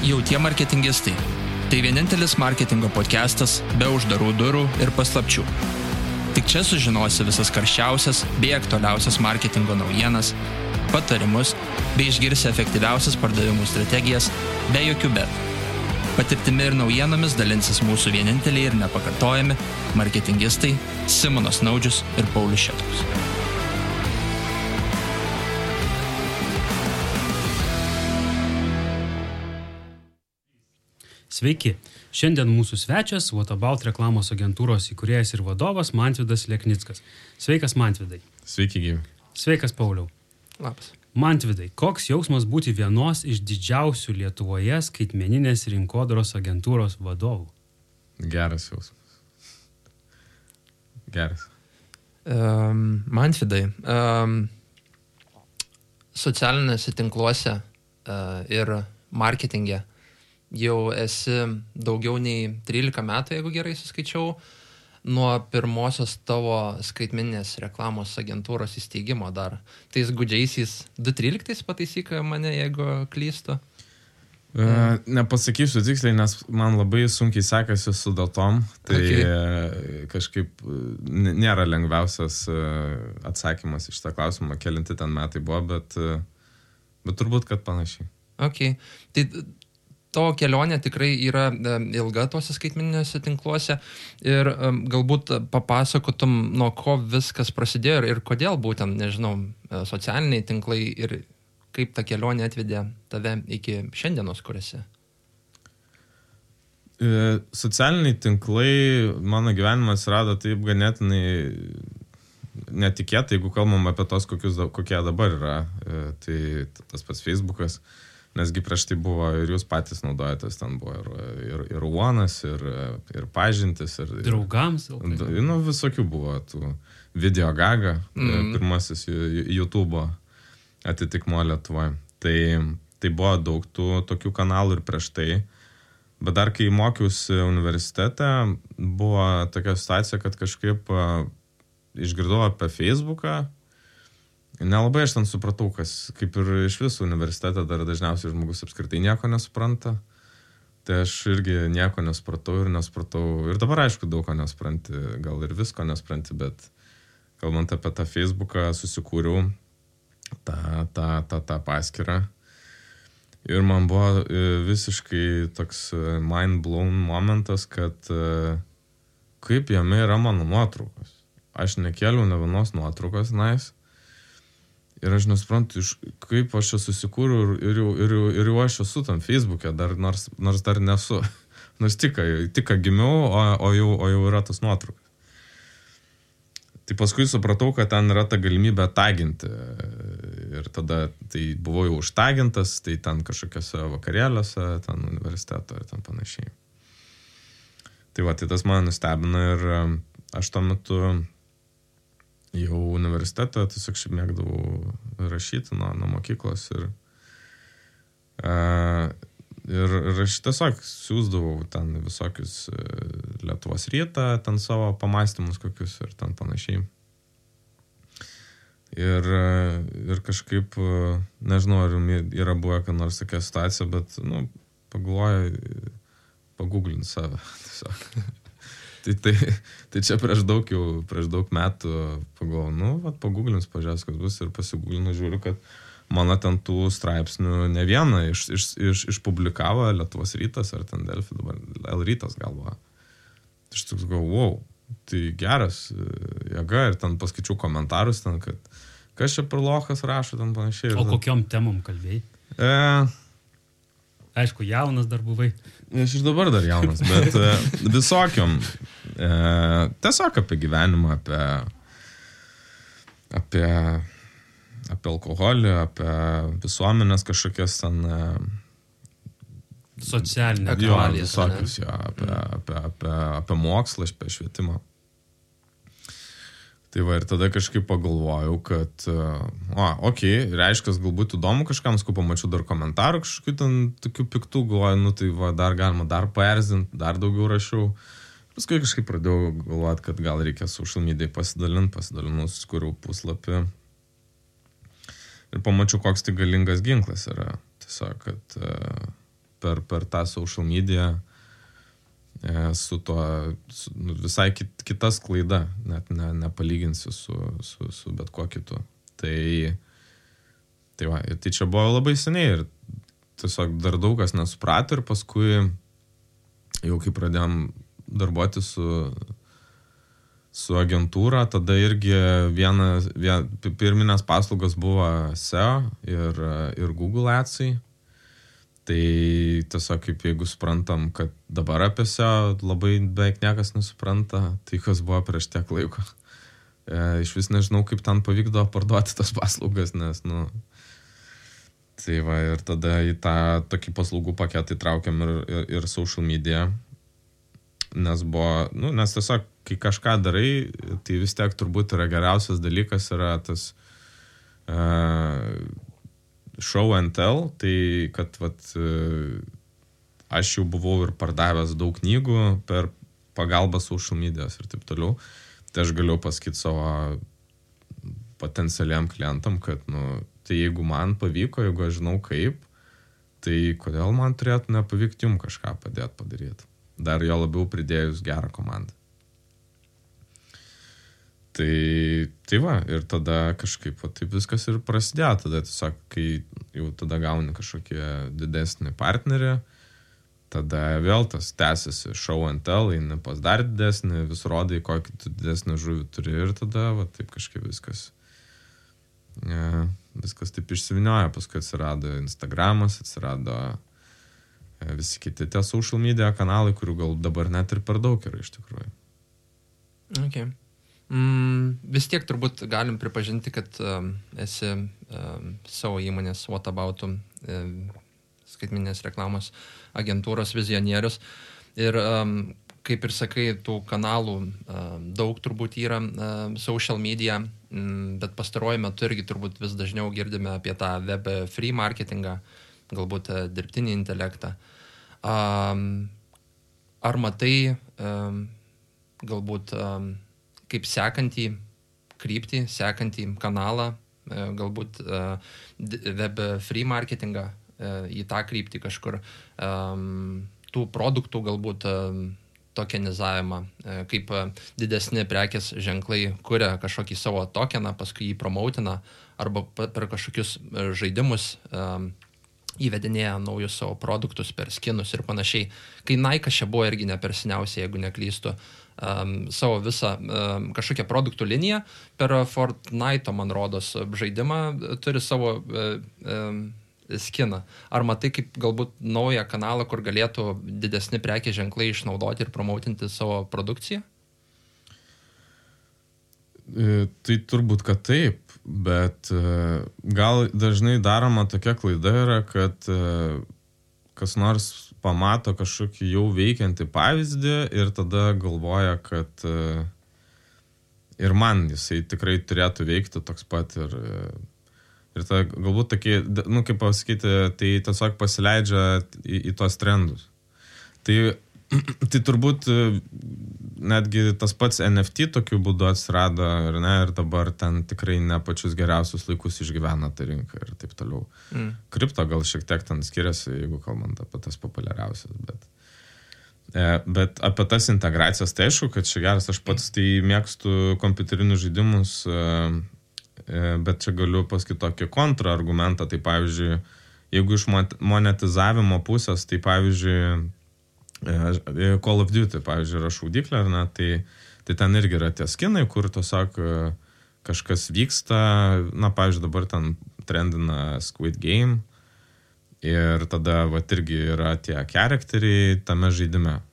Jautie marketingistai. Tai vienintelis marketingo podcastas be uždarų durų ir paslapčių. Tik čia sužinosi visas karščiausias bei aktualiausias marketingo naujienas, patarimus bei išgirsi efektyviausias pardavimų strategijas be jokių bet. Patirtimi ir naujienomis dalinsis mūsų vieninteliai ir nepakartojami marketingistai Simonas Naudžius ir Paulius Šetkus. Sveiki! Šiandien mūsų svečias What About reklamos agentūros įkūrėjas ir vadovas Mantvydas Leknickas. Sveikas, Mantvydai. Sveiki, gyvi. Sveikas, Pauliau. Labas. Mantvydai, koks jausmas būti vienos iš didžiausių Lietuvoje skaitmeninės rinkodaros agentūros vadovų? Geras jausmas. Geras. Mantvydai, socialinėse tinkluose ir marketinge jau esi daugiau nei 13 metų, jeigu gerai suskaičiau, nuo pirmosios tavo skaitmeninės reklamos agentūros įsteigimo dar. Tais gudžiaisiais 2013 pataisyk mane, jeigu klystu. Nepasakysiu tiksliai, nes man labai sunkiai sekasi su datom, tai kažkaip nėra lengviausias atsakymas iš tą klausimą, kelinti ten metai buvo, bet turbūt, kad panašiai. Okay. Tai tavo kelionė tikrai yra ilga tuose skaitmeniniuose tinkluose ir galbūt papasakotum, nuo ko viskas prasidėjo ir kodėl būtent, nežinau, socialiniai tinklai ir kaip ta kelionė atvedė tave iki šiandienos, kur esi? Socialiniai tinklai, mano gyvenimas rado taip ganėtinai netikėtai, jeigu kalbam apie tos, kokie dabar yra. Tai tas pats Facebookas. Nesgi prieš tai buvo ir jūs patys naudojatės, ten buvo ir Uonas, ir pažintis. Draugams? Visokių buvo tų video gaga, pirmasis YouTube atitikmo Lietuvoje. Tai buvo daug tų tokių kanalų ir prieš tai. Bet dar kai mokiausi universitete, buvo tokia situacija, kad kažkaip išgirdau apie Facebooką. Nelabai aš ten supratau, kas kaip ir iš visų universitetą dar dažniausiai žmogus apskritai nieko nesupranta. Tai aš irgi nieko nesupratau. Ir dabar aišku daug ko nesupranti, gal ir visko nesupranti, bet kalbant apie tą Facebooką susikūriau tą paskyrą. Ir man buvo visiškai toks mind blown momentas, kad kaip jame yra mano nuotraukos. Aš nekėliau ne vienos nuotraukos, Ir aš nesuprantu, kaip aš čia susikūriau ir jau aš esu tam Facebook'e, nors dar nesu. Nors tik gimiau, o jau yra tas nuotraukas. Tai paskui supratau, kad ten yra ta galimybė taginti. Ir tada tai buvau jau užtagintas, tai ten kažkokiose vakarėliuose, ten universiteto ir ten panašiai. Tai tas mane nustebino ir aš tuo metu jau universitetą tiesiog šiaip mėgdavau rašyti nuo mokyklos ir aš tiesiog siųsdavau ten visokius Lietuvos rytą, ten savo pamąstymus kokius ir ten panašiai. Ir kažkaip, nežinau, ar yra buvę, kad nors tokia situacija, bet, pagalvoju, pagooglint save tiesiog. Tai čia prieš daug metų pagalvojau, pagooglins, pažiūrės, kas bus ir pasigooglinu, žiūriu, kad mano ten tų straipsnių ne vieną išpublikavo Lietuvos rytas ar ten Delfi, dabar L rytas galva. Tai aš toks galvojau, tai geras jėga ir ten paskaičiau komentarus ten, kad kas čia per lochas rašo, ten panašiai. O kokiom temom kalbėjai? Aišku, jaunas dar buvai. Aš ir dabar dar jaunas, bet visokiom. Tiesiog apie gyvenimą, apie alkoholį, apie visuomenės kažkokias ten socialinę aktualijas. Visokius, apie mokslą, apie švietimą. Tai ir tada kažkaip pagalvojau, kad reiškia, galbūt įdomu kažkam, pamačiau dar komentarų kažkokių ten tokių piktų, galvoju, tai dar galima dar paerzinti, dar daugiau rašiau. Paskui kažkaip pradėjau galvoti, kad gal reikia social media pasidalinau, susikūriau puslapį ir pamačiau, koks tai galingas ginklas yra. Tiesiog, kad per tą social media su tuo visai kita sklaida, net nepalyginsiu su bet kuo kitu. Tai čia buvo labai seniai ir tiesiog dar daug kas nesuprato ir paskui jau kai pradėjom darbuoti su agentūra, tada irgi pirminės paslaugos buvo SEO ir Google Adsai. Tai tiesiog kaip jeigu suprantam, kad dabar apie SEO labai beveik niekas nesupranta, tai kas buvo prieš tiek laiko. Iš vis nežinau, kaip ten pavykdavo parduoti tas paslaugas, nes, tai va, ir tada į tą tokį paslaugų paketą įtraukiam ir social media, nes buvo, nes tiesiog, kai kažką darai, tai vis tiek turbūt yra geriausias dalykas, yra tas show and tell, tai kad aš jau buvau ir pardavęs daug knygų per pagalbą social medijos ir taip toliau, tai aš galiu pasakyti savo potencialiam klientam, kad, tai jeigu man pavyko, jeigu aš žinau kaip, tai kodėl man turėtų nepavykti jums kažką padaryti. Dar jo labiau pridėjus gerą komandą. Tai va, ir tada kažkaip taip viskas ir prasidėjo. Tada tiesiog, kai jau tada gauni kažkokį didesnį partnerį, tada vėl tas tęsiasi show and tell, eini pas dar didesnį, vis rodai, kokį tu didesnį žuvį turi ir tada va, taip kažkaip viskas taip išsivinioja. Paskui atsirado Instagramas, atsirado visi kiti tie social media kanalai, kurių gal dabar net ir per daug yra iš tikrųjų. Okay. Vis tiek turbūt galim pripažinti, kad esi savo įmonės What About skaitmeninės reklamos agentūros vizionierius. Ir kaip ir sakai, tų kanalų daug turbūt yra social media, bet pastaruoju metu irgi turbūt vis dažniau girdime apie tą web free marketingą, galbūt dirbtinį intelektą. Ar matai galbūt kaip sekantį kryptį, sekantį kanalą, galbūt web free marketingą į tą kryptį kažkur, tų produktų galbūt tokenizavimą, kaip didesni prekės ženklai kuria kažkokį savo tokeną, paskui jį promautina, arba per kažkokius žaidimus įvedinėja naujus savo produktus per skinus ir panašiai. Kai Nike čia buvo irgi ne per seniausiai, jeigu neklystu, savo visą kažkokią produktų liniją per Fortnite, man rodos, žaidimą turi savo skiną. Ar matai kaip galbūt naują kanalą, kur galėtų didesni prekės ženklai išnaudoti ir promautinti savo produkciją? Tai turbūt, kad taip, bet gal dažnai daroma tokia klaida yra, kad kas nors pamato kažkokį jau veikiantį pavyzdį ir tada galvoja, kad ir man jisai tikrai turėtų veikti toks pat ir tada galbūt tokie, kaip pasakyti, tai tiesiog pasileidžia į tos trendus. Tai turbūt netgi tas pats NFT tokiu būdu atsirado ir dabar ten tikrai ne pačius geriausius laikus išgyvena ta rinka ir taip toliau. Kripto gal šiek tiek ten skiriasi, jeigu kalbant apie tas populiariausias, bet apie tas integracijas, tai aišku, kad čia geras, aš pats tai mėgstu kompiuterinius žaidimus, bet čia galiu pasakyti tokį kontraargumentą, tai pavyzdžiui, jeigu iš monetizavimo pusės, tai pavyzdžiui, Call of Duty, pavyzdžiui, yra šaudyklė, tai ten irgi yra tie skinai, kur tiesiog kažkas vyksta, pavyzdžiui, dabar ten trendina Squid Game ir tada irgi yra tie charakteriai tame žaidime.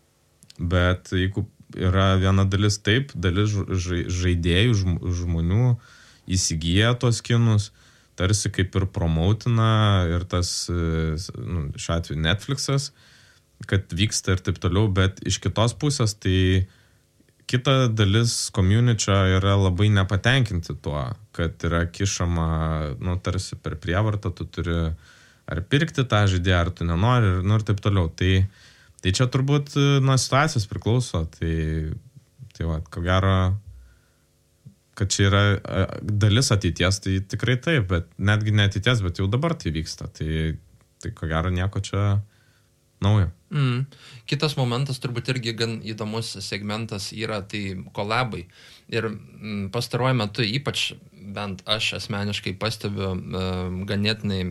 Bet jeigu yra viena dalis taip, dalis žaidėjų, žmonių įsigyja tos skinus, tarsi kaip ir promautina ir tas, šiuo atveju Netflixas, kad vyksta ir taip toliau, bet iš kitos pusės tai kita dalis community yra labai nepatenkinti tuo, kad yra kišama, tarsi per prievartą, tu turi ar pirkti tą žaidėją, ar tu nenori, ir taip toliau. Tai čia turbūt nuo situacijos priklauso, tai va, ko gero, kad čia yra dalis ateities, tai tikrai taip, bet netgi ne ateities, bet jau dabar tai vyksta, tai ko gero nieko čia naujo. Kitas momentas turbūt irgi gan įdomus segmentas yra tai kolabai. Ir pastaruoju metu ypač bent aš asmeniškai pastebiu ganėtinai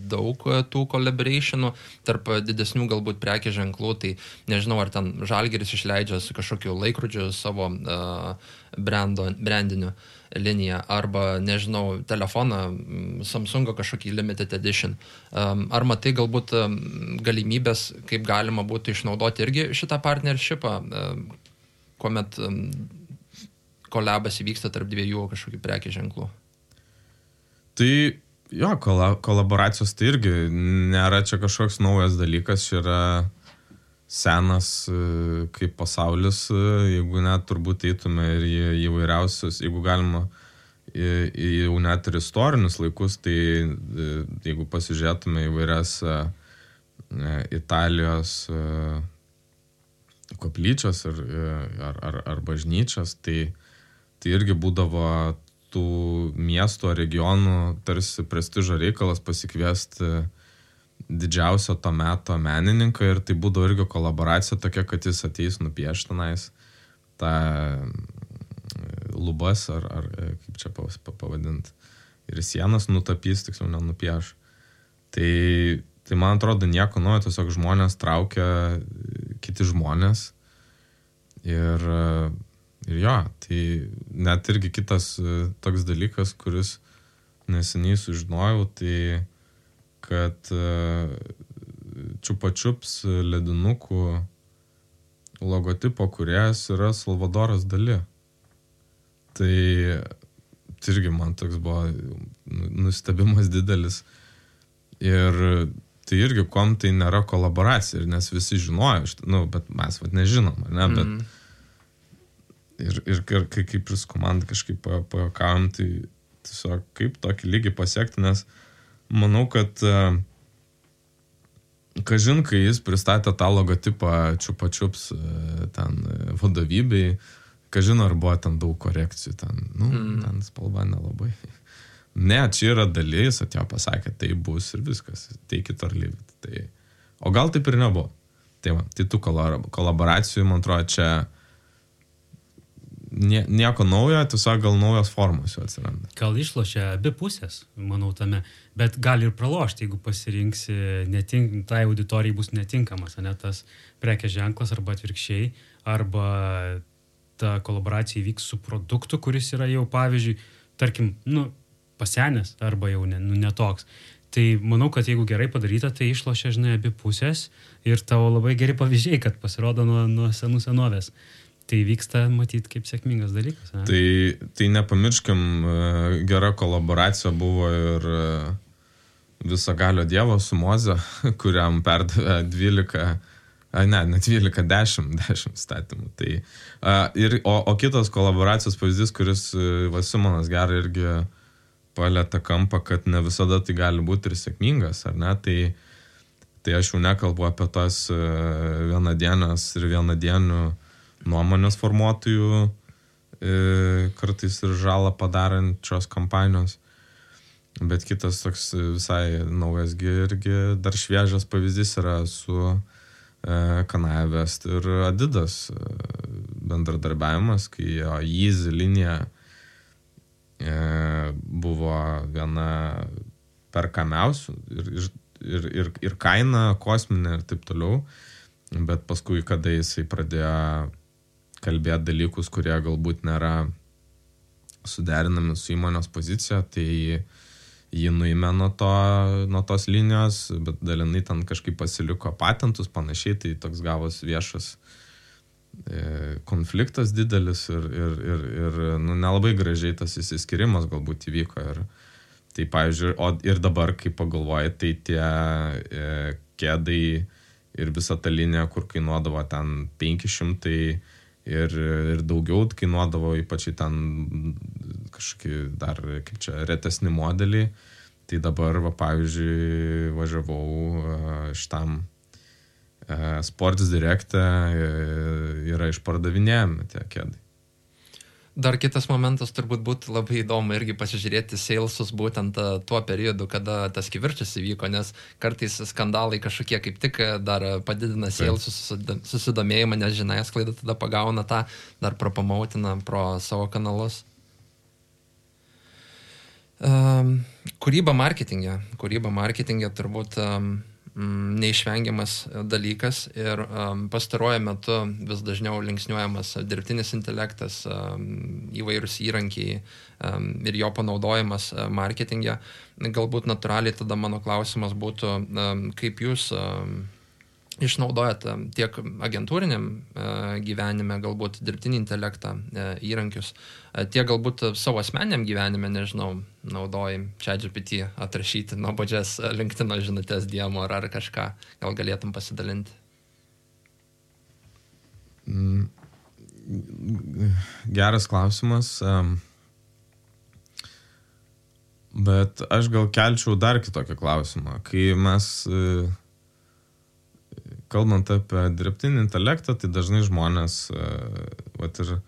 daug tų collaborationų tarp didesnių galbūt prekės ženklų. Tai nežinau, ar ten Žalgiris išleidžia su kažkokiu laikrodžiu savo brandiniu liniją, arba, nežinau, telefoną Samsungo kažkokį limited edition. Ar matai galbūt galimybės, kaip galima būtų išnaudoti irgi šitą partnershipą, kuomet kolabas įvyksta tarp dviejų kažkokių prekės ženklų? Tai jo, kolaboracijos tai irgi nėra čia kažkoks naujas dalykas, čia yra senas kaip pasaulis, jeigu net turbūt eitume ir į įvairiausius, jeigu galima jau net ir istorinius laikus, tai jeigu pasižiūrėtume įvairias Italijos koplyčios ar bažnyčios, tai irgi būdavo tų miestų ar regionų tarsi prestižo reikalas pasikviesti didžiausio to meto menininką ir tai būdavo irgi kolaboracija tokia, kad jis ateis nupiešti tenais tą lubas ar kaip čia pavadinti ir sienas nutapys, tiksliau nenupieš. Tai man atrodo nieko naujo, tiesiog žmonės traukia kiti žmonės ir jo, tai net irgi kitas toks dalykas, kuris neseniai sužinojau, tai kad Chupa Chups ledinukų logotipo kūrėjas yra Salvadoras Dali. Tai irgi man toks buvo nustebimas didelis. Ir tai irgi kom tai nėra kolaboracija, nes visi žinojo, bet mes nežinom, ne, bet ir kaip ir su komanda kažkaip pajuokavom, tai tiesiog kaip tokį lygį pasiekti, nes manau, kad kažin, kai jis pristatė tą logotipą Chupa Chups ten vadovybei, kažin, ar buvo ten daug korekcijų, ten spalva nelabai. Ne, čia yra dalis, atėjo pasakė, tai bus ir viskas, take it or leave it. Tai, o gal taip ir nebuvo. Tai tų kolaboracijų, man atrodo, čia nieko naujo, tiesiog gal naujos formos jau atsiranda. Gal išlošia abi pusės, manau, tame, bet gali ir pralošti, jeigu pasirinksi tai auditorijai bus netinkamas, ne tas prekės ženklas arba atvirkščiai, arba ta kolaboracija įvyks su produktu, kuris yra jau, pavyzdžiui, tarkim, pasenęs arba jau netoks. Tai manau, kad jeigu gerai padaryta, tai išlošia, abi pusės ir tavo labai geri pavyzdžiai, kad pasirodo nuo senų senovės. Tai vyksta, matyt, kaip sėkmingas dalykas. Ne? Tai nepamirškim, gera kolaboracija buvo ir Visagalio Dievo su Moze, kuriam perdavė 10 statymų. Tai, o kitas kolaboracijos pavyzdys, kuris Simonas gerai irgi palietė kampą, kad ne visada tai gali būti ir sėkmingas, ar ne? Tai aš jau nekalbu apie tos vienadienės ir vienadienių nuomonės formuotojų kartais ir žalą padarančios kampanijos. Bet kitas toks visai naujas irgi dar šviežias pavyzdys yra su Kanye West ir Adidas bendradarbiavimas, kai jo Yeezy linija buvo viena perkamiausių ir kaina kosminė ir taip toliau. Bet paskui, kada jisai pradėjo kalbėti dalykus, kurie galbūt nėra suderinami su įmonės pozicija, tai jį nuėmė nuo tos linijos, bet dalinai ten kažkaip pasiliko patentus, panašiai, tai toks gavos viešas konfliktas didelis ir nelabai gražiai tas įsiskirimas galbūt įvyko. Tai, pavyzdžiui, ir dabar, kai pagalvoji, tai tie kėdai ir visa ta linija, kur kainuodavo ten 500 ir daugiau kainuodavo, ypač ten kažkokie dar, kaip čia, retesni modeliai. Tai dabar, pavyzdžiui, važiavau šitam Sports Direct'e yra išpardavinėjami tie kėdai. Dar kitas momentas turbūt būtų labai įdomu irgi pasižiūrėti salesus būtent tuo periodu, kada tas kivirčas įvyko, nes kartais skandalai kažkokie kaip tik dar padidina salesus susidomėjimą, nes žiniasklaida tada pagauna tą, dar propamautina pro savo kanalus. Kūryba marketingė turbūt neišvengiamas dalykas ir pastaruoju metu vis dažniau linksniuojamas dirbtinis intelektas, įvairūs įrankiai ir jo panaudojimas marketinge. Galbūt natūraliai tada mano klausimas būtų, kaip jūs išnaudojat tiek agentūriniam gyvenime, galbūt dirbtinį intelektą, įrankius, tiek galbūt savo asmeniniam gyvenime, nežinau, naudoji ChatGPT atrašyti nuobodžias LinkedIno žinutės DM ar kažką, gal galėtum pasidalinti? Geras klausimas, bet aš gal kelčiau dar kitokį klausimą. Kai mes kalbant apie dirbtinį intelektą, tai dažnai žmonės vat ir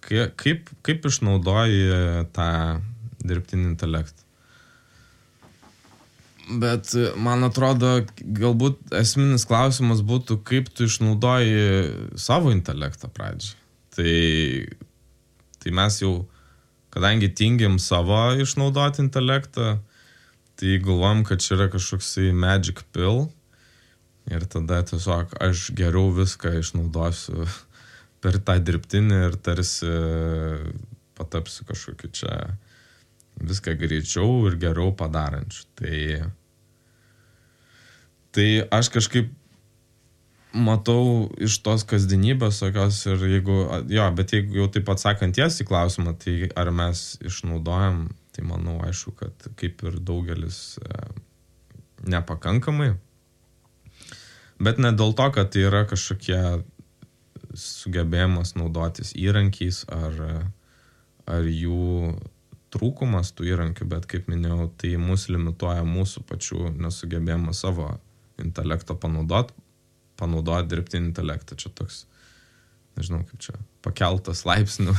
kaip išnaudoji tą dirbtinį intelektą. Bet man atrodo, galbūt esminis klausimas būtų, kaip tu išnaudoji savo intelektą pradžiai. Tai mes jau, kadangi tingim savo išnaudoti intelektą, tai galvojam, kad čia yra kažkoksai magic pill. Ir tada tiesiog aš geriau viską išnaudosiu per tą dirbtinį ir tarsi patapsiu kažkokiu čia viską greičiau ir geriau padarančiu. Tai aš kažkaip matau iš tos kasdienybės tokios ir jeigu jau taip atsakant tiesiai klausimą, tai ar mes išnaudojam, tai manau aišku, kad kaip ir daugelis nepakankamai. Bet ne dėl to, kad tai yra kažkokie sugebėjimas naudotis įrankiais ar jų trūkumas tų įrankių, bet kaip minėjau, tai mus limituoja mūsų pačių nesugebėjimą savo intelekto panaudoti dirbtinį intelektą. Čia toks, nežinau kaip čia, pakeltas laipsnių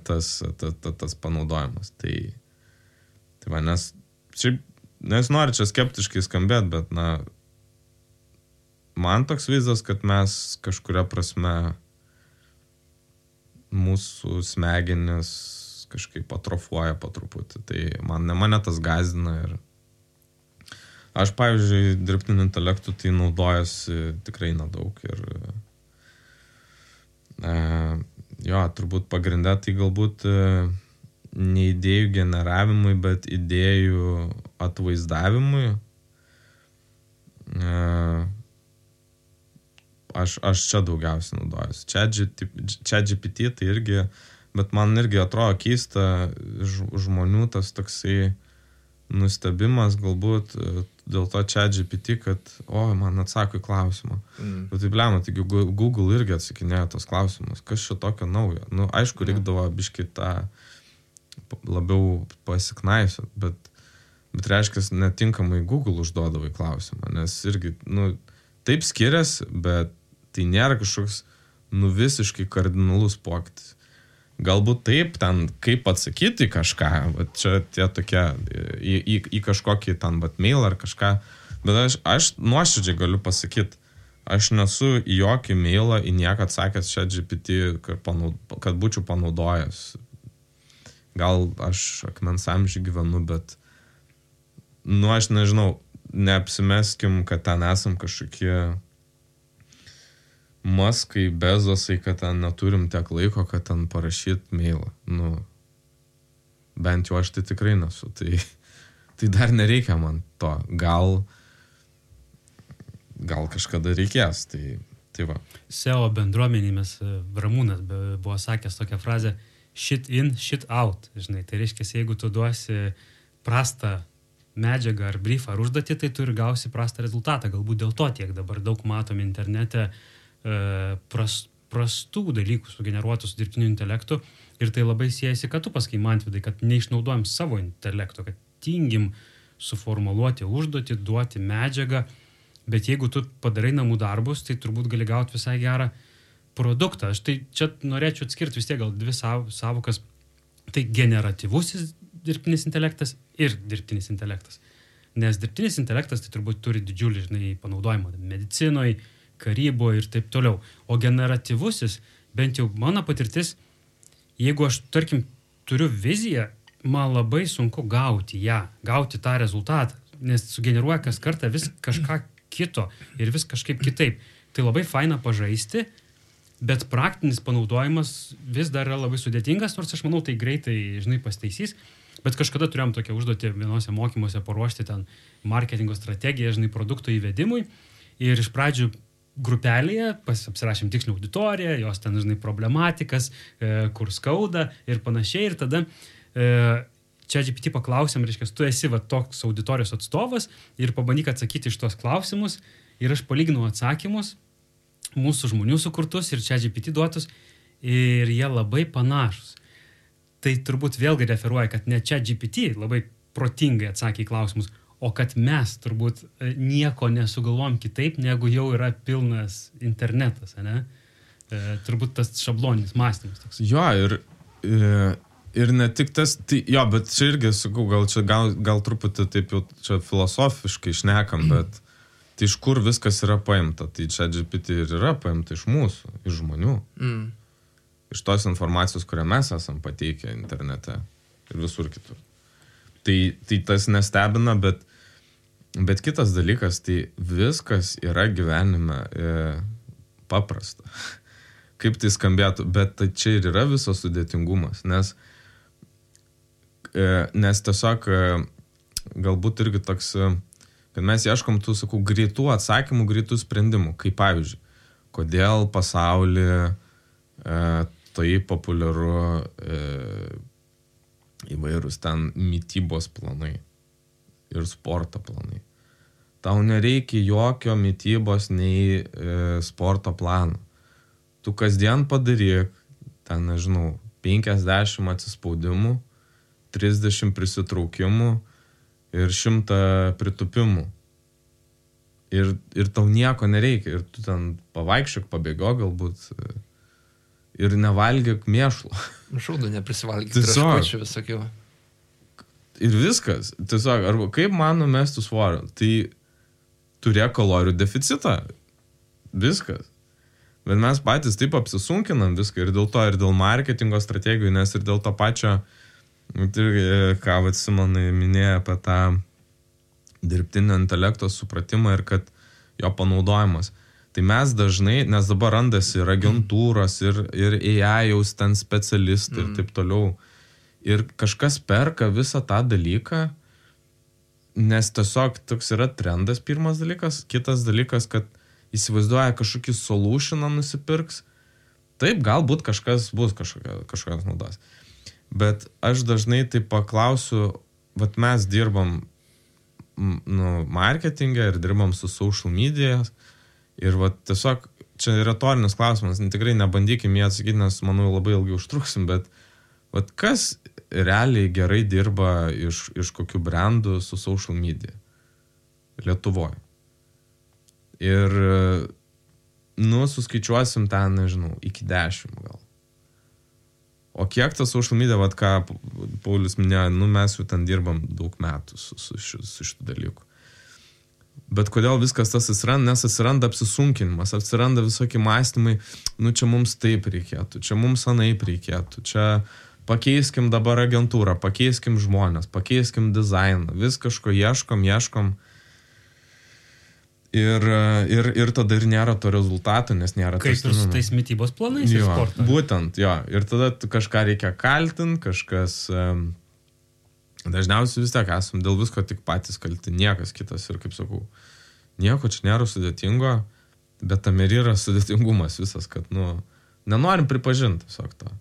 tas panaudojimas. Tai va, nes nori čia skeptiškai skambėt, bet man toks vaizdas, kad mes kažkuria prasme mūsų smegenis kažkaip atrofuoja po truputį. Tai mane tas gąsdina ir aš, pavyzdžiui, dirbtiniu intelektu tai naudojasi tikrai nedaug ir turbūt pagrinde tai galbūt ne idėjų generavimui, bet idėjų atvaizdavimui. Aš čia daugiausiai naudojusi. ChatGPT tai irgi, bet man irgi atrodo keista žmonių tas toksai nustebimas galbūt dėl to ChatGPT, kad man atsako į klausimą. Bet tai blema, taigi Google irgi atsakinėjo tos klausimus. Kas čia tokio naujo? Aišku, reikdavo biškį tą labiau pasiknaisiot, bet reiškia, netinkamai Google užduodavo į klausimą, nes irgi, taip skiriasi, bet tai nėra kažkoks visiškai kardinalus pokytis. Galbūt taip, ten kaip atsakyti į kažką, čia tie tokie, į kažkokį ten mail ar kažką, bet aš nuoširdžiai galiu pasakyti, aš nesu į jokį mailą, į nieką atsakęs ChatGPT, kad būčiau panaudojęs. Gal aš akmens amžių gyvenu, bet aš nežinau, neapsimeskim, kad ten esam kažkokie Maskai, Bezosai, kad ten neturim tiek laiko, kad ten parašyti mailą. Bent jau aš tai tikrai nesu. Tai dar nereikia man to. Gal kažkada reikės. Tai va. SEO bendruomenį mes, Ramūnas buvo sakęs tokią frazę shit in, shit out. Žinai, tai reiškia, jeigu tu duosi prastą medžiagą ar briefą ar užduotį, tai tu ir gausi prastą rezultatą. Galbūt dėl to tiek dabar daug matom internete prastų dalykų sugeneruotų su dirbtiniu intelektu ir tai labai siejasi, kad tu pasakai, Mantvydai, kad neišnaudojam savo intelekto, kad tingim suformuluoti užduotį, duoti medžiagą, bet jeigu tu padarai namų darbus, tai turbūt gali gauti visai gerą produktą. Aš tai čia norėčiau atskirti vis tiek gal dvi savokas. Tai generatyvusis dirbtinis intelektas ir dirbtinis intelektas. Nes dirbtinis intelektas tai turbūt turi didžiulį, panaudojimą medicinoje, karyboje ir taip toliau. O generatyvusis, bent jau mano patirtis, jeigu aš, tarkim, turiu viziją, man labai sunku gauti tą rezultatą, nes sugeneruoja kas kartą vis kažką kito ir vis kažkaip kitaip. Tai labai faina pažaisti, bet praktinis panaudojimas vis dar yra labai sudėtingas, nors aš manau, tai greitai, pasitaisys. Bet kažkada turėjom tokią užduotį vienose mokymuose paruošti ten marketingo strategiją, produkto įvedimui. Ir iš pradžių grupelėje apsirašėm tikslią auditoriją, jos ten, problematikas, kur skauda ir panašiai. Ir tada ChatGPT paklausėm, reiškia, tu esi toks auditorijos atstovas ir pabandyk atsakyti iš tos klausimus. Ir aš palyginau atsakymus, mūsų žmonių sukurtus ir ChatGPT duotus, ir jie labai panašus. Tai turbūt vėlgi referuoja, kad ne ChatGPT labai protingai atsakė į klausimus, o kad mes turbūt nieko nesugalvom kitaip, negu jau yra pilnas internetas, ne? Turbūt tas šabloninis mąstymas toks. Jo, ir ne tik tas, tai, jo, bet čia irgi, sakau, gal truputį taip jau čia filosofiškai šnekam, bet tai iš kur viskas yra paimta? Tai ChatGPT ir yra paimta iš mūsų, iš žmonių. Iš tos informacijos, kurią mes esam pateikę internete ir visur kitur. Tai tas nestebina, bet kitas dalykas, tai viskas yra gyvenime paprasta. Kaip tai skambėtų, bet tai čia ir yra visas sudėtingumas, nes tiesiog galbūt irgi toks, kad mes ieškom tų, sakau, greitų atsakymų, greitų sprendimų, kaip pavyzdžiui, kodėl pasaulyje tai populiaru įvairūs ten mitybos planai ir sporto planai. Tau nereikia jokio mitybos nei sporto plano. Tu kasdien padaryk, ten, 50 atsispaudimų, 30 prisitraukimų ir 100 pritupimų. Ir tau nieko nereikia. Ir tu ten pavaikščiok, pabėgo galbūt ir nevalgyk mėšlo. Šaudu neprisivalgyti traškučių visokių. Ir viskas. Tiesiog, arba kaip man numesti svorio? Tai turėk kalorijų deficitą. Viskas. Bet mes patys taip apsisunkinam viską ir dėl to, ir dėl marketingo strategijų, nes ir dėl to pačio, ką Simonai minėjo apie tą dirbtinio intelekto supratimą ir kad jo panaudojimas. Tai mes dažnai, nes dabar randasi ir agentūros, ir AI-jaus ten specialistai ir taip toliau. Ir kažkas perka visą tą dalyką, nes tiesiog toks yra trendas pirmas dalykas. Kitas dalykas, kad įsivaizduoja kažkokį solutioną nusipirks. Taip, galbūt kažkas bus kažkokios naudos. Bet aš dažnai taip paklausiu, vat mes dirbam marketingą ir dirbam su social media. Ir va tiesiog, čia retorinis klausimas, tikrai nebandykim jį atsakyti, nes manau labai ilgai užtruksim, bet va kas realiai gerai dirba iš kokių brandų su social media Lietuvoje. Ir, suskaičiuosim ten, iki 10 gal. O kiek tas social media, va ką Paulius minėjo, mes jau ten dirbam daug metų su šitų dalykų. Bet kodėl viskas tas atsiranda? Nes atsiranda apsisunkinimas, atsiranda visokie mąstymai, čia mums taip reikėtų, čia mums anaip reikėtų, čia pakeiskim dabar agentūrą, pakeiskim žmonės, pakeiskim dizainą, vis kažko ieškom. Ir tada ir nėra to rezultato, nes nėra kaip ir su tais mitybos planais ir sporto. Būtent, jo. Ir tada kažką reikia kaltinti, kažkas... Dažniausiai vis tiek esam dėl visko tik patys kalti, niekas kitas. Ir kaip sakau, nieko čia nėra sudėtingo, bet tam ir yra sudėtingumas visas, kad, nenorim pripažinti tiesiog to.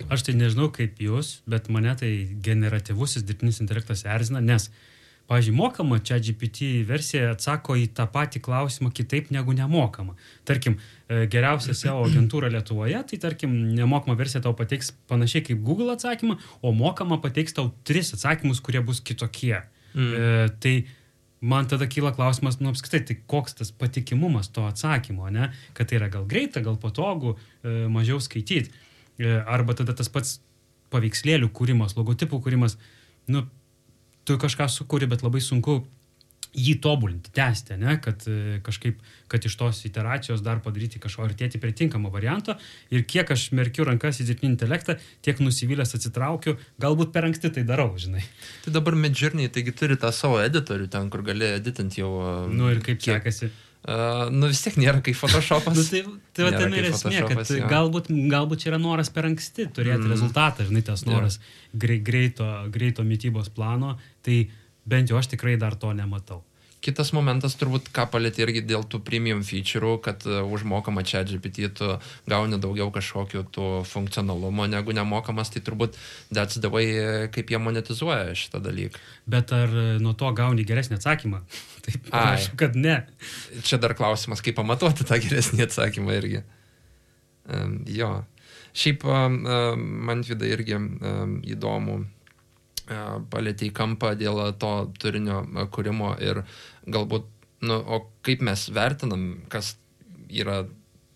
Aš tai nežinau kaip jūs, bet mane tai generatyvusis dirbtinis intelektas erzina, nes, pavyzdžiui, mokama ChatGPT versija atsako į tą patį klausimą kitaip negu nemokama. Tarkim, geriausia SEO agentūra Lietuvoje, tai tarkim, nemokama versija tau pateiks panašiai kaip Google atsakymą, o mokama pateiks tau 3 atsakymus, kurie bus kitokie. Tai man tada kyla klausimas, apskritai, tai koks tas patikimumas to atsakymo, ne? Kad tai yra gal greita, gal patogu, mažiau skaityti. Arba tada tas pats paveikslėlių kūrimas, logotipų kūrimas, tu kažką sukūri, bet labai sunku jį tobulinti, tęsti, ne? Kad kažkaip, kad iš tos iteracijos dar padaryti kažko artėti prie tinkamo varianto. Ir kiek aš merkiu rankas į dirbtinį intelektą, tiek nusivylęs atsitraukiu, galbūt per anksti tai darau, žinai. Tai dabar Midjourney, taigi turi tą savo editorių ten, kur gali editinti jau... Ir kaip sekasi? Vis tiek nėra kaip Photoshopas. Tai va ten ir esmė, kad galbūt čia yra noras per anksti turėti rezultatą, žinai, tas noras greito mitybos plano, tai bent jau aš tikrai dar to nematau. Kitas momentas turbūt, ką palėtė irgi dėl tų premium feature'ų, kad užmokama ChatGPT tu gauni daugiau kažkokių tų funkcionalumo negu nemokamas, tai turbūt that's the way, kaip jie monetizuoja šitą dalyką. Bet ar nuo to gauni geresnį atsakymą? Taip, aš, kad ne. Čia dar klausimas, kaip pamatuoti tą geresnį atsakymą irgi. Jo. Šiaip man vida irgi įdomu palėtė į kampą dėl to turinio kūrimo ir galbūt, o kaip mes vertinam, kas yra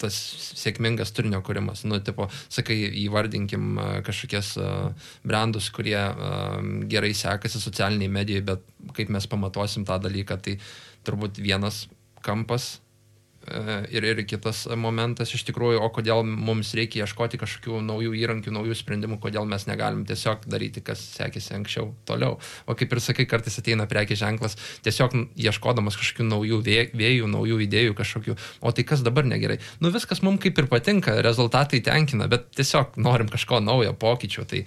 tas sėkmingas turinio kūrimas. Sakai, įvardinkim kažkokias brandus, kurie gerai sekasi socialiniai medijai, bet kaip mes pamatuosim tą dalyką, tai turbūt vienas kampas ir kitas momentas iš tikrųjų, o kodėl mums reikia ieškoti kažkokių naujų įrankių, naujų sprendimų, kodėl mes negalim tiesiog daryti, kas sekėsi anksčiau toliau. O kaip ir sakai, kartais ateina prekės ženklas, tiesiog ieškodamas kažkokių naujų vėjų, naujų idėjų kažkokių, o tai kas dabar negerai. Viskas mums kaip ir patinka, rezultatai tenkina, bet tiesiog norim kažko naujo, pokyčių, tai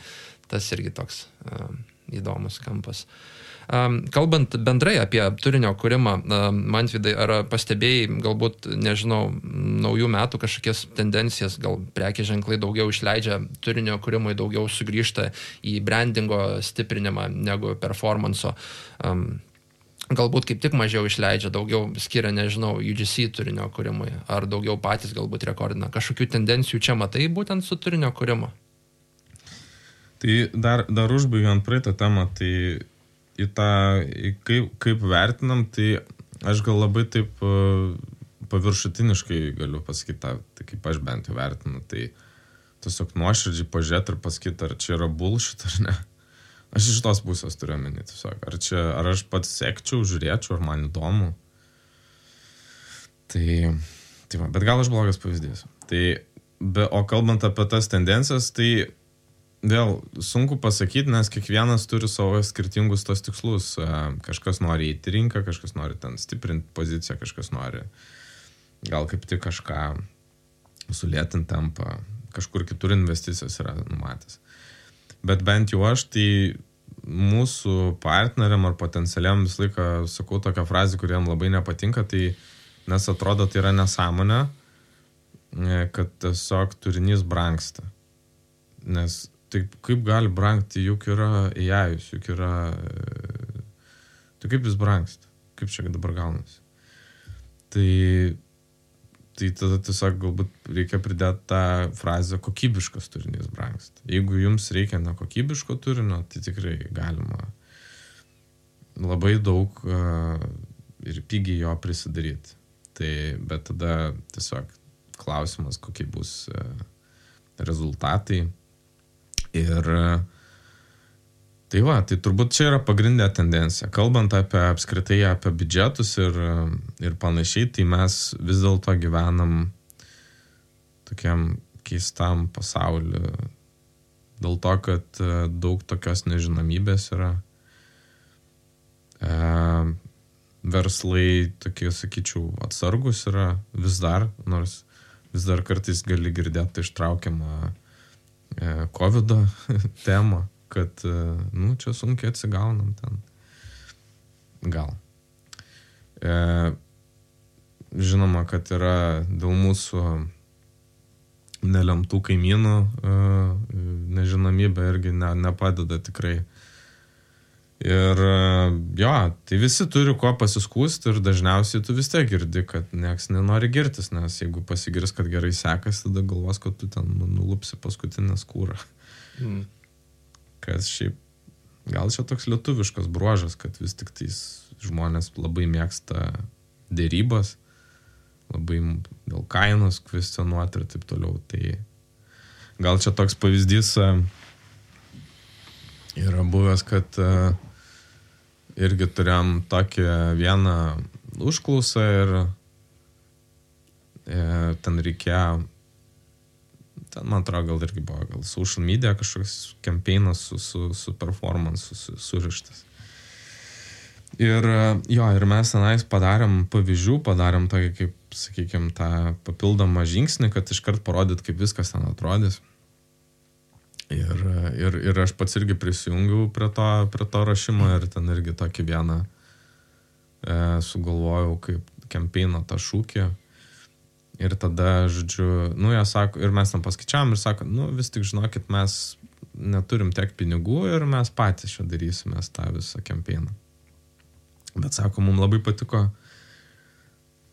tas irgi toks įdomus kampas. Kalbant bendrai apie turinio kūrimą, Mantvydai, ar pastebėjai, galbūt, nežinau, naujų metų kažkokias tendencijas, gal prekės ženklai daugiau išleidžia turinio kūrimui, daugiau sugrįžta į brandingo stiprinimą negu performanso, galbūt kaip tik mažiau išleidžia, daugiau skiria, nežinau, UGC turinio kūrimui, ar daugiau patys galbūt rekordina. Kažkokių tendencijų čia matai būtent su turinio kūrimu? Tai dar užbaigiant praeitą temą, tai kaip vertinam, tai aš gal labai taip paviršutiniškai galiu pasakyti, tai kaip aš bent jau vertinu, tai tiesiog nuoširdžiai pažiūrėti ir pasakyti, ar čia yra bullshit ar ne. Aš iš tos pusės turiu omeny tiesiog, ar aš pats sekčiau, žiūrėčiau, ar man įdomu. Tai va, bet gal aš blogas pavyzdys. O kalbant apie tas tendencijas, tai vėl sunku pasakyti, nes kiekvienas turi savo skirtingus tos tikslus. Kažkas nori įti rinką, kažkas nori ten stiprinti poziciją, kažkas nori gal kaip tik kažką sulėtinti tempą, kažkur kitur investicijos yra numatęs. Bet bent jau aš, tai mūsų partneriam ar potencialiam visą laiką sakau tokią frazę, kuriem labai nepatinka, tai nes atrodo tai yra nesąmonė, kad tiesiog turinys brangsta. Nes tai kaip gali brangti, juk yra AI-us, juk yra... Tai kaip jis brangsta? Kaip čia dabar gaunasi? Tai tada tiesiog galbūt reikia pridėti tą frazę kokybiškas turinys brangsta. Jeigu jums reikia nekokybiško turinio, tai tikrai galima labai daug ir pigiai jo prisidaryti. Bet tada tiesiog klausimas, kokie bus rezultatai. Ir tai turbūt čia yra pagrindinė tendencija. Kalbant apskritai apie biudžetus ir panašiai, tai mes vis dėlto gyvenam tokiam keistam pasauliu. Dėl to, kad daug tokios nežinomybės yra. Verslai tokie, sakyčiau, atsargus yra vis dar, nors vis dar kartais gali girdėti ištraukiamą COVID-o temą, kad, čia sunkiai atsigaunam ten. Gal. Žinoma, kad yra dėl mūsų nelemtų kaimynų nežinomybė irgi nepadeda tikrai. Ir tai visi turi kuo pasiskųsti ir dažniausiai tu vis tiek girdi, kad nieks nenori girtis, nes jeigu pasigirs, kad gerai sekasi, tada galvos, kad tu ten nulupsi paskutinę skūrą. Kas šiaip, gal čia toks lietuviškas bruožas, kad vis tik tais žmonės labai mėgsta dėrybas, labai dėl kainos kvestionuoti ir taip toliau. Tai gal čia toks pavyzdys yra buvęs, kad irgi turėjom tokią vieną užklausą ir ten reikėjo, ten man atrodo gal irgi buvo, gal social media kažkoks campaignas su performance surištas. Ir ir mes tenais padarėm pavyzdžių, padarėm tokį, kaip, sakykime, tą papildomą žingsnį, kad iškart parodyt, kaip viskas ten atrodys. Ir aš pats irgi prisijungiau prie to rašymo ir ten irgi tokį vieną sugalvojau kaip campaigno tą šūkį. Ir tada, žodžiu, jie sako, ir mes tam paskaičiavom ir sako, vis tik žinokit, mes neturim tiek pinigų ir mes patys čia darysimės tą visą campaigną. Bet sako, mums labai patiko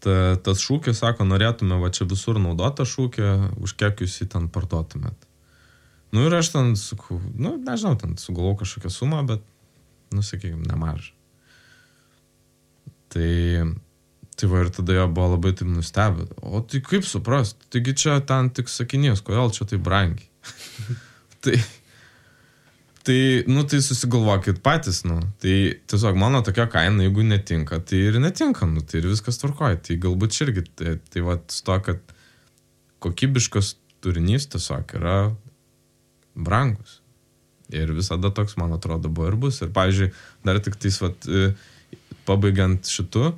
tas šūkis, sako, norėtume va čia visur naudoti tą šūkį, už kiek jūs jį ten parduotumėt. Ir aš ten, sakau, nežinau, ten sugalvau kažkokią sumą, bet, sakykime, nemažą. Tai va ir tada jo buvo labai taip nustebę. O tai kaip suprast? Taigi čia ten tik sakinys, kodėl čia tai brangiai? Tai susigalvokit patys, Tai tiesiog mano tokia kaina, jeigu netinka, tai ir netinka, tai ir viskas tvarkoja. Tai galbūt čia irgi, tai va, to, kad kokybiškas turinys tiesiog yra brangus. Ir visada toks, man atrodo, buvo ir bus. Ir, pavyzdžiui, dar tik tais, va, pabaigiant šitu,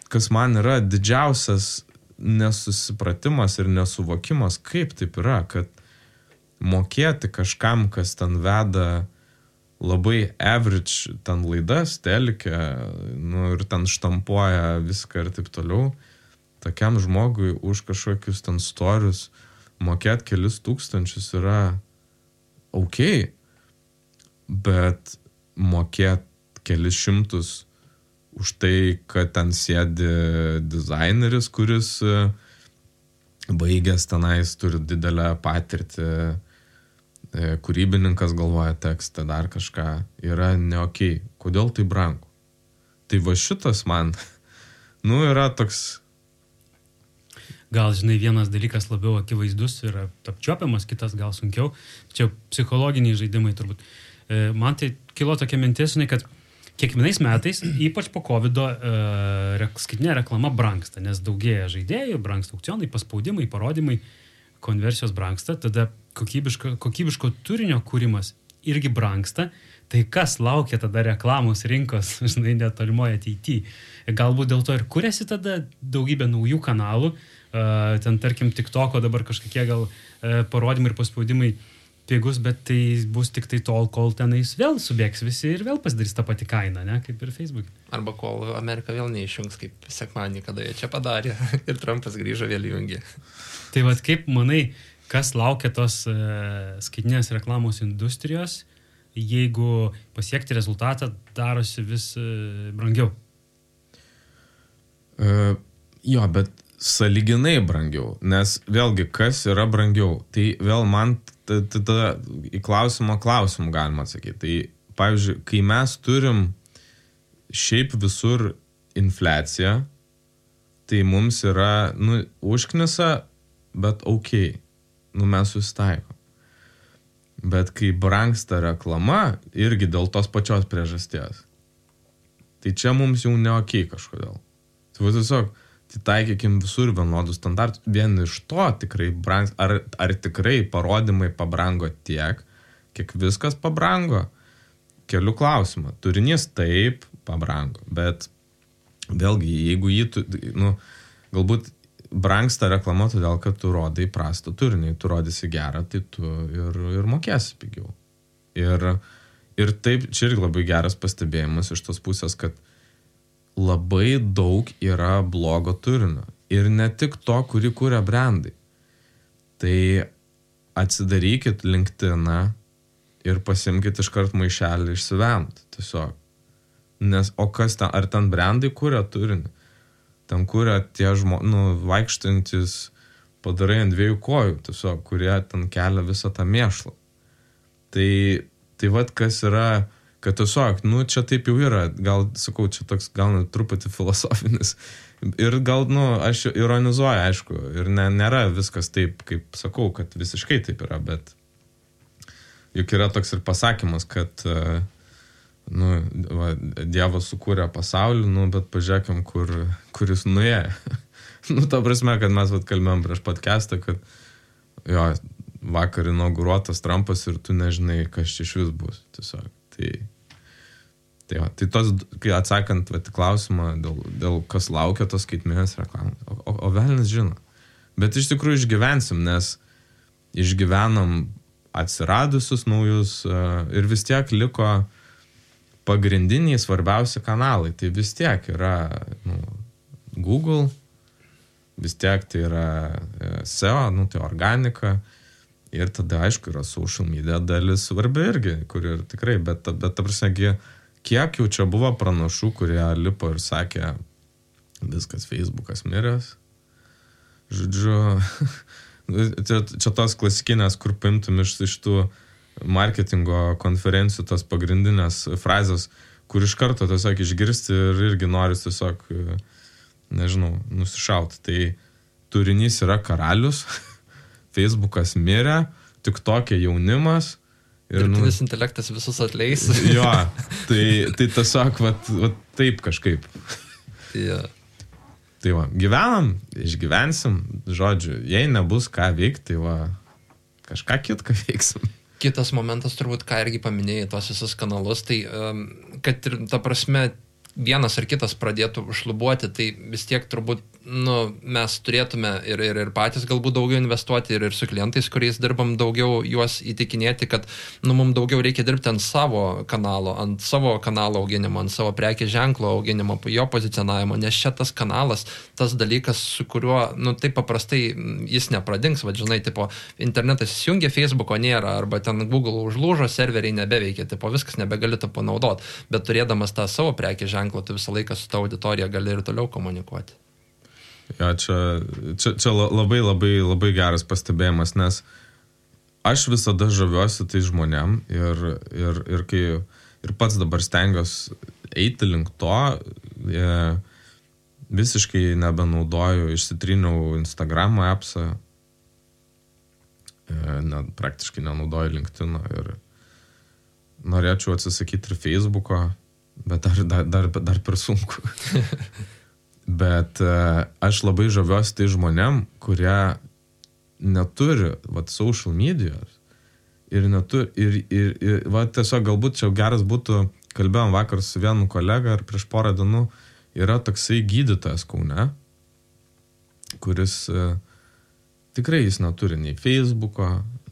kas man yra didžiausias nesusipratimas ir nesuvokimas, kaip taip yra, kad mokėti kažkam, kas ten veda labai average ten laidas, telkę, ir ten štampuoja viską ir taip toliau, tokiam žmogui už kažkokius ten storius mokėti kelis tūkstančius yra ok, bet mokėti kelis šimtus už tai, kad ten sėdi dizaineris, kuris baigęs tenais turi didelę patirtį, kūrybininkas galvoja tekstą, dar kažką, yra ne okei. Kodėl tai brangu? Tai va šitas man, yra toks... Gal, žinai, vienas dalykas labiau akivaizdus ir apčiuopiamas, kitas gal sunkiau. Čia psichologiniai žaidimai turbūt. Man tai kilo tokia mintis, žinai, kad kiekvienais metais, ypač po COVID-o, skaitinė reklama brangsta, nes daugėja žaidėjų, brangsta aukcionai, paspaudimai, parodymai, konversijos brangsta, tada kokybiško turinio kūrimas irgi brangsta. Tai kas laukia tada reklamos rinkos, žinai, netolimoje ateityje? Galbūt dėl to ir kuriasi tada daugybė naujų kanalų, ten tarkim TikToko dabar kažkokie gal parodymai ir paspaudimai pigus, bet tai bus tik tai tol, kol tenais vėl subėgs visi ir vėl pasidarys tą patį kainą, ne, kaip ir Facebook. Arba kol Amerika vėl neišjungs, kaip sekmadienį, kada jie čia padarė ir Trumpas grįžo vėl įjungė. Tai vat kaip manai, kas laukia tos skaitinės reklamos industrijos, jeigu pasiekti rezultatą darosi vis brangiau? Jo, bet sąlyginai brangiau, nes vėlgi, kas yra brangiau, tai vėl man tada į klausimą galima atsakyti. Tai, pavyzdžiui, kai mes turim šiaip visur infliaciją, tai mums yra, užknisa, bet okei, mes susitaikom. Bet kai brangsta reklama, irgi dėl tos pačios priežasties, tai čia mums jau ne okei kažkodėl. Tai tiesiog, tai taikykim visur vienodų standartų. Vien iš to tikrai brangs, ar tikrai parodymai pabrango tiek, kiek viskas pabrango? Keliu klausimą. Turinys taip pabrango, bet vėlgi, jeigu galbūt brangsta reklama todėl, kad tu rodai prastą turinį, tu rodysi gerą, tai tu ir mokėsi pigiau. Ir taip, čia irgi labai geras pastebėjimas iš tos pusės, kad labai daug yra blogo turinio. Ir ne tik to, kurį kuria brandai. Tai atsidarykit LinkedIną ir pasimkit iškart maišelį išsivemt. Tiesiog. Nes, o kas ten, ar ten brandai kuria turinį? Ten kuria tie vaikštantis padarai ant dviejų kojų, tiesiog, kurie ten kelia visą tą mėšlą. Tai vat kas yra kad tiesiog, nu, čia taip jau yra, gal, sakau, čia toks gal net truputį filosofinis. Ir gal, nu, aš ironizuoju, aišku, ir nėra viskas taip, kaip sakau, kad visiškai taip yra, bet juk yra toks ir pasakymas, kad, nu, va, Dievas sukūrė pasaulį, nu, bet pažiūrėkim, kur jis nuėjo. Nu, ta prasme, kad mes kalbėjom prieš podcastą, kad jo, vakar inauguruotas Trumpas ir tu nežinai, kas čia iš vis bus, tiesiog. Tai tos, kai atsakant klausimą, dėl kas laukia tos skaitmenės reklamos, o velnis žino. Bet iš tikrųjų išgyvensim, nes išgyvenam atsiradusius naujus ir vis tiek liko pagrindiniai svarbiausi kanalai. Tai vis tiek yra Google, vis tiek tai yra SEO, tai organika. Ir tada, aišku, yra social media dalis svarbi irgi, kur ir tikrai, bet ta prasme, kiek jau čia buvo pranašų, kurie lipo ir sakė, viskas Facebookas miręs. Žodžiu, čia tos klasikinės, kur paimtum iš tų marketingo konferencijų, tos pagrindinės frazės, kur iš karto tiesiog išgirsti ir irgi noris tiesiog, nežinau, nusišauti. Tai turinys yra karalius. Facebookas mirė, tik tokia jaunimas. Ir dirbtinis intelektas visus atleis. Jo, tai tiesiog taip kažkaip. Yeah. Tai va, gyvenam, išgyvensim, žodžiu, jei nebus ką veikti, tai va, kažką kitką veiksim. Kitas momentas turbūt, ką irgi paminėjai, tos visus kanalus, tai kad ir ta prasme vienas ar kitas pradėtų šlubuoti, tai vis tiek turbūt mes turėtume ir patys galbūt daugiau investuoti ir su klientais, kuriais dirbam, daugiau juos įtikinėti, kad mums daugiau reikia dirbti ant savo kanalo auginimo, ant savo prekės ženklo auginimo, jo pozicionavimo, nes čia tas kanalas, tas dalykas, su kuriuo, taip paprastai jis nepradings, žinai, tipo, internetas įsijungia, Facebooko nėra, arba ten Google užlūžo, serveriai nebeveikia, tipo, viskas nebegali to panaudoti, bet turėdamas tą savo prekės ženklą, tu visą laiką su ta auditorija gali ir toliau komunikuoti. Ja, čia labai, labai, labai geras pastebėjimas, nes aš visada žaviuosi tai žmonėm ir kai ir pats dabar stengiuosi eiti link to, visiškai nebenaudoju, išsitryniau Instagramo appsą, praktiškai nenaudoju LinkedIną ir norėčiau atsisakyti ir Facebooko, bet dar per sunku. Bet aš labai žaviuosi tai žmonėm, kurie neturi social medijos ir tiesiog galbūt čia geras būtų, kalbėjom vakar su vienu kolega ir prieš porą dienų, yra toksai gydytojas Kaune, kuris tikrai jis neturi nei Facebooko,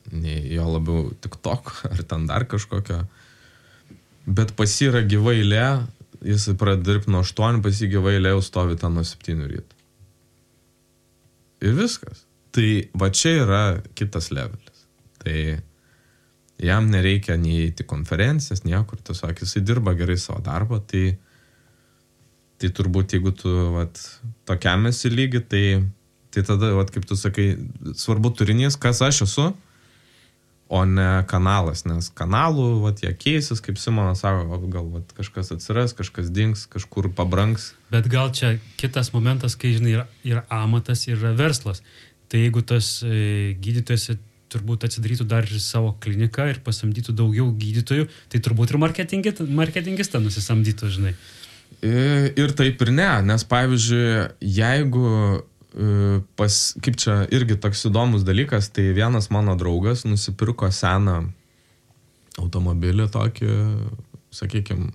nei jo labiau TikTok ar ten dar kažkokio, bet pas jį yra gyva eilė, jis pradeda dirbti nuo 8, pas jį gyva eilė jau stovi ten nuo 7 ryto. Ir viskas. Tai va čia yra kitas levelis. Tai jam nereikia nei į konferencijas, niekur, tiesiog jisai dirba gerai savo darbą, tai turbūt jeigu tu tokiam esi lygi, tai tada, kaip tu sakai, svarbu turinys, kas aš esu, o ne kanalas, nes kanalų, jie keisis, kaip Simonas sako, gal kažkas atsiras, kažkas dings, kažkur pabrangs. Bet gal čia kitas momentas, kai, žinai, yra amatas, yra verslas. Tai jeigu tas gydytojas turbūt atsidarytų dar ir savo kliniką ir pasamdytų daugiau gydytojų, tai turbūt ir marketingistą nusisamdytų, žinai. Ir taip ir ne, nes pavyzdžiui, jeigu kaip čia irgi toks įdomus dalykas, tai vienas mano draugas nusipirko seną automobilį tokį, sakykime,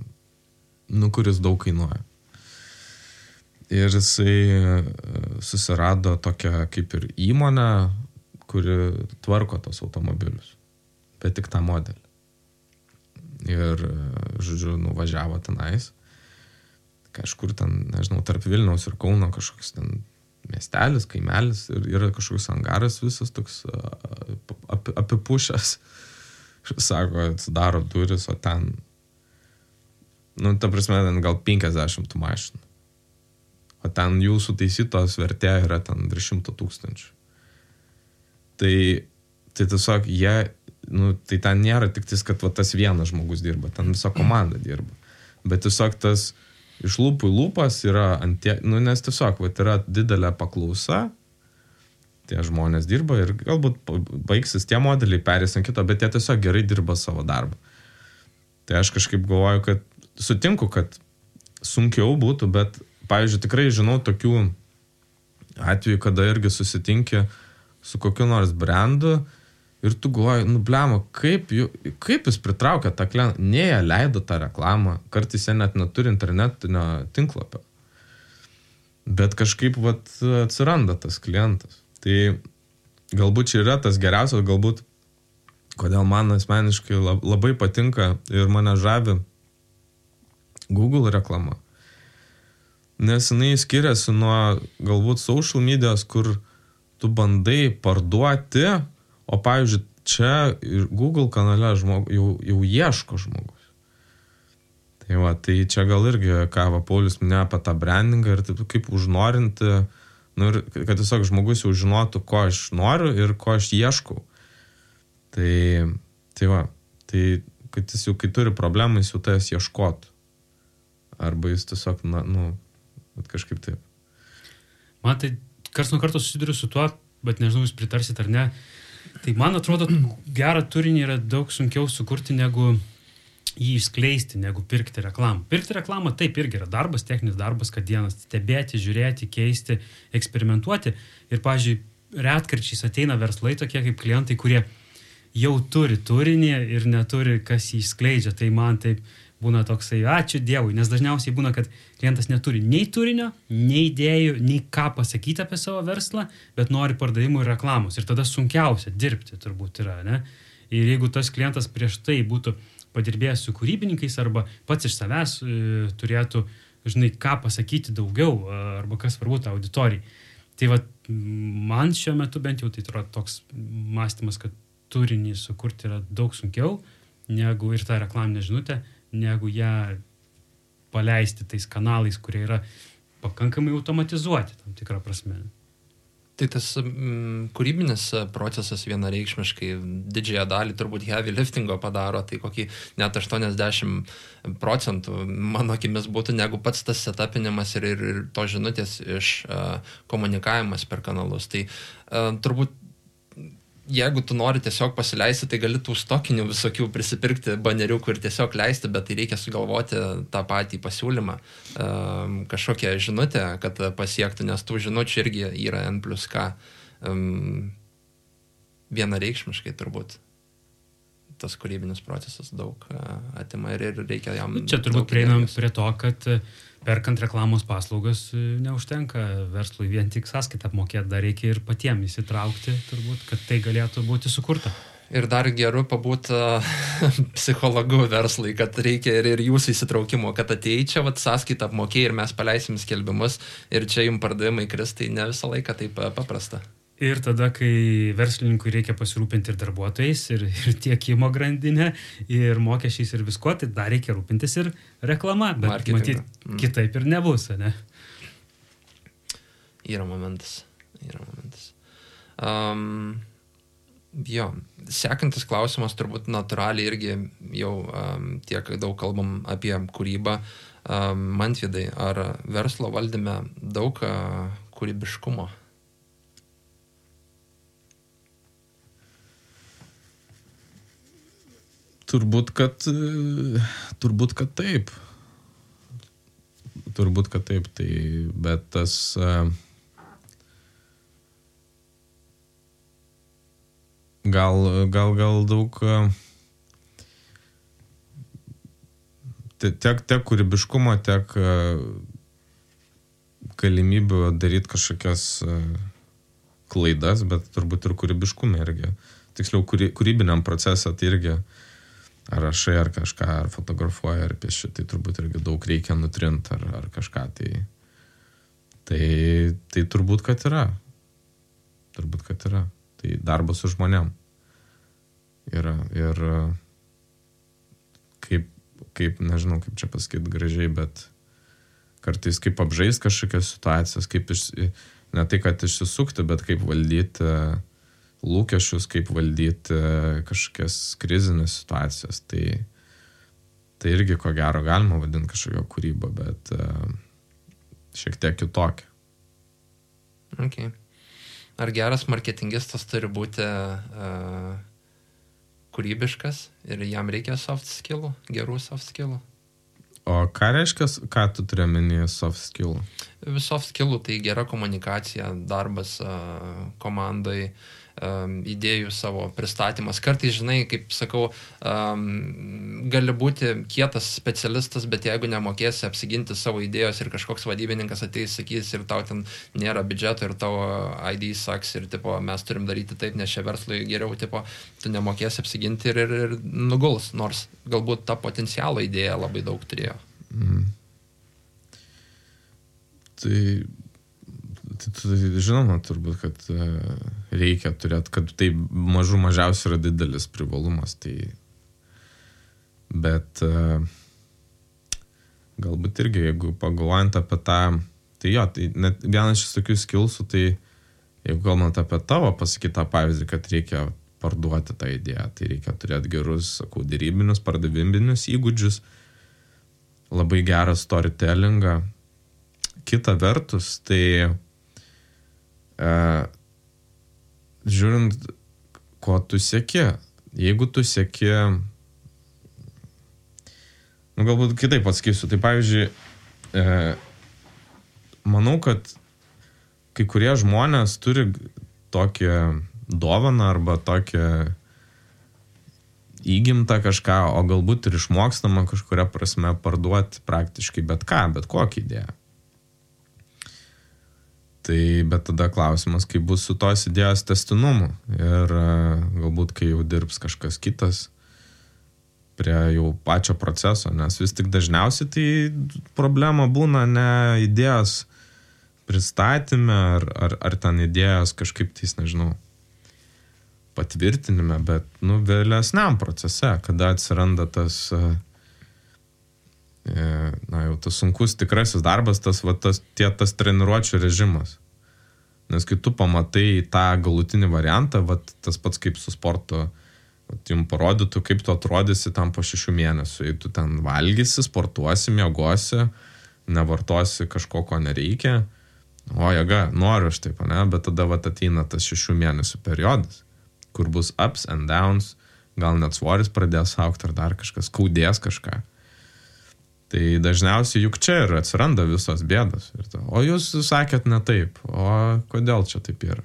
kuris daug kainuoja. Ir jisai susirado tokią kaip ir įmonę, kuri tvarko tos automobilius, bet tik tą modelį. Ir, žodžiu, nuvažiavo tenais, kažkur ten, nežinau, tarp Vilniaus ir Kauno kažkoks ten miestelis, kaimelis ir yra kažkoks angaras visas toks apipušęs. Sako, atsidaro duris, o ten, ta prasme, ten gal 50 mašinų. O ten jų sutaisytos vertė yra ten 300 000. Tai tiesiog jie tai ten nėra tik tais, kad va, tas vienas žmogus dirba, ten visa komanda dirba. Bet tiesiog tas iš lūpų į lūpas yra nes tiesiog va, yra didelė paklausa, tie žmonės dirba ir galbūt baigsis tie modeliai, perės ant kito, bet jie tiesiog gerai dirba savo darbą. Tai aš kažkaip galvoju, kad sutinku, kad sunkiau būtų, bet, pavyzdžiui, tikrai žinau tokių atvejų, kada irgi susitinki su kokiu nors brandu ir tu galvoji, blema, kaip jis pritraukia tą klientą, ne jie leido tą reklamą, kartais jie net neturi internetinio tinklapio. Bet kažkaip atsiranda tas klientas. Tai galbūt čia yra tas geriausias, galbūt kodėl man asmeniškai labai patinka ir mane žavi Google reklama. Nes jinai skiriasi nuo galbūt social medijos, kur tu bandai parduoti, o pavyzdžiui, čia Google kanale jau ieško žmogus. Tai čia gal irgi, ką Paulius minėjo apie tą brandingą ir taip kaip užnorinti, ir kad tiesiog žmogus jau žinotų, ko aš noriu ir ko aš ieškau. Tai kad jis jau, kai turi problemą, jis jau tas ieškotų. Arba jis tiesiog, kažkaip taip. Man tai karts nuo karto susiduriu su tuo, bet nežinau, jūs pritarsit ar ne. Tai man atrodo, gerą turinį yra daug sunkiau sukurti, negu jį išskleisti, negu pirkti reklamą. Pirkti reklamą taip irgi yra darbas, techninis darbas, kad dienas stebėti, žiūrėti, keisti, eksperimentuoti. Ir, pavyzdžiui, retkarčiais ateina verslai tokie kaip klientai, kurie jau turi turinį ir neturi, kas jį išskleidžia. Tai man taip būna toksai, ačiū Dievui, nes dažniausiai būna, kad klientas neturi nei turinio, nei idėjų, nei ką pasakyti apie savo verslą, bet nori pardavimų ir reklamos. Ir tada sunkiausia dirbti turbūt yra, ne? Ir jeigu tas klientas prieš tai būtų padirbėjęs su kūrybininkais arba pats iš savęs turėtų, ką pasakyti daugiau arba kas svarbu tą auditorijai. Tai man šiuo metu bent jau tai yra toks mąstymas, kad turinį sukurti yra daug sunkiau negu ir tą reklaminę žinutę, negu ją paleisti tais kanalais, kurie yra pakankamai automatizuoti tam tikrą prasme. Tai tas kūrybinis procesas vienareikšmiškai didžiąją dalį turbūt heavy liftingo padaro, tai kokį net 80% mano akimis būtų negu pats tas setupinimas ir to žinutės iš komunikavimas per kanalus. Tai turbūt jeigu tu nori tiesiog pasileisti, tai gali tų stokinių visokių prisipirkti baneriukų ir tiesiog leisti, bet tai reikia sugalvoti tą patį pasiūlymą, kažkokią žinutę, kad pasiektų, nes tų žinučių irgi yra N+K. Vienareikšmiškai turbūt tas kūrybinis procesas daug atima ir reikia jam... Čia turbūt prieinam prie to, kad perkant reklamos paslaugas neužtenka verslui vien tik sąskaitą apmokėti, dar reikia ir patiems įsitraukti, turbūt, kad tai galėtų būti sukurta. Ir dar geru pabūti psichologu verslui, kad reikia ir jūsų įsitraukimo, kad atėjai čia sąskaitą apmokėjai ir mes paleisim skelbimus ir čia jums pardavimai kris, tai ne visą laiką taip paprasta. Ir tada, kai verslininkui reikia pasirūpinti ir darbuotojais, ir tiekimo grandinę, ir mokesčiais, ir visko, tai dar reikia rūpintis ir reklama, bet matyt, kitaip ir nebus, ne? Yra momentas. Jo, sekantis klausimas turbūt natūraliai irgi jau tiek daug kalbam apie kūrybą. Mantvidai, ar verslo valdyme daug kūrybiškumo? Turbūt, kad taip. Tai, bet tas gal daug tiek kūrybiškumo, tiek galimybių daryti kažkokias klaidas, bet turbūt ir kūrybiškumą irgi. Tiksliau, kūrybiniam procesą tai irgi ar rašai, ar kažką, ar fotografuoji, ar pieši, tai turbūt irgi daug reikia nutrinti, ar kažką. Tai turbūt, kad yra. Tai darbas su žmonėm. Ir kaip, nežinau, kaip čia pasakyti gražiai, bet kartais kaip apžaist kažkokias situacijas, kaip ne tai, kad išsisukti, bet kaip valdyti lūkesčius, kaip valdyti kažkokias krizinės situacijas. Tai irgi ko gero galima vadinti kažkokio kūrybą, bet šiek tiek kitokia. Okay. Ar geras marketingistas turi būti kūrybiškas ir jam reikia soft skillų, gerų soft skillų? O ką reiškia, ką tu turi omenyje soft skillų? Soft skillų tai gera komunikacija, darbas komandai, idėjų savo pristatymas. Kartais, žinai, kaip sakau, gali būti kietas specialistas, bet jeigu nemokėsi apsiginti savo idėjos ir kažkoks vadybininkas ateis, sakys, ir tau ten nėra biudžeto ir tavo ID saks ir tipo, mes turim daryti taip, nes čia verslui geriau, tipo, tu nemokėsi apsiginti ir nuguls, nors galbūt ta potencialo idėja labai daug turėjo. Tai žinoma, turbūt, kad reikia turėti, kad tai mažiausiai yra didelis privalumas. Tai, bet galbūt irgi, jeigu pagalvojant apie tą, tai jo, tai net vienas iš tokių skillsų, tai jeigu kalbant apie tavo pasakytą pavyzdį, kad reikia parduoti tą idėją, tai reikia turėti gerus, sakau, dėrybinius, pardaviminius įgūdžius, labai gerą storytellingą. Kita vertus, tai žiūrint, ko tu sieki. Jeigu tu sieki, galbūt kitaip atsakysiu. Tai pavyzdžiui, manau, kad kai kurie žmonės turi tokią dovaną arba tokią įgimtą kažką, o galbūt ir išmokstama kažkuria prasme parduoti praktiškai bet ką, bet kokią idėją. Tai, bet tada klausimas, kaip bus su tos idėjos tęstinumu ir galbūt, kai jau dirbs kažkas kitas prie jau pačio proceso, nes vis tik dažniausiai tai problema būna ne idėjos pristatyme ar ten idėjos kažkaip tais, nežinau, patvirtinime, bet, vėlesniam procese, kada atsiranda tas jau tas sunkus tikrasis darbas, tas treniruočių režimas. Nes kai tu pamatai tą galutinį variantą, tas pats kaip su sportu, jums parodytų, kaip tu atrodysi tam po 6 mėnesių. Jei tu ten valgysi, sportuosi, miegosi, nevartosi kažko, ko nereikia, jėga, noriu aš taip, ne? Bet tada ateina tas 6 mėnesių periodas, kur bus ups and downs, gal net svoris pradės augti ar dar kažkas, skaudės kažką. Tai dažniausiai juk čia ir atsiranda visos bėdos. O jūs sakėt ne taip, o kodėl čia taip yra?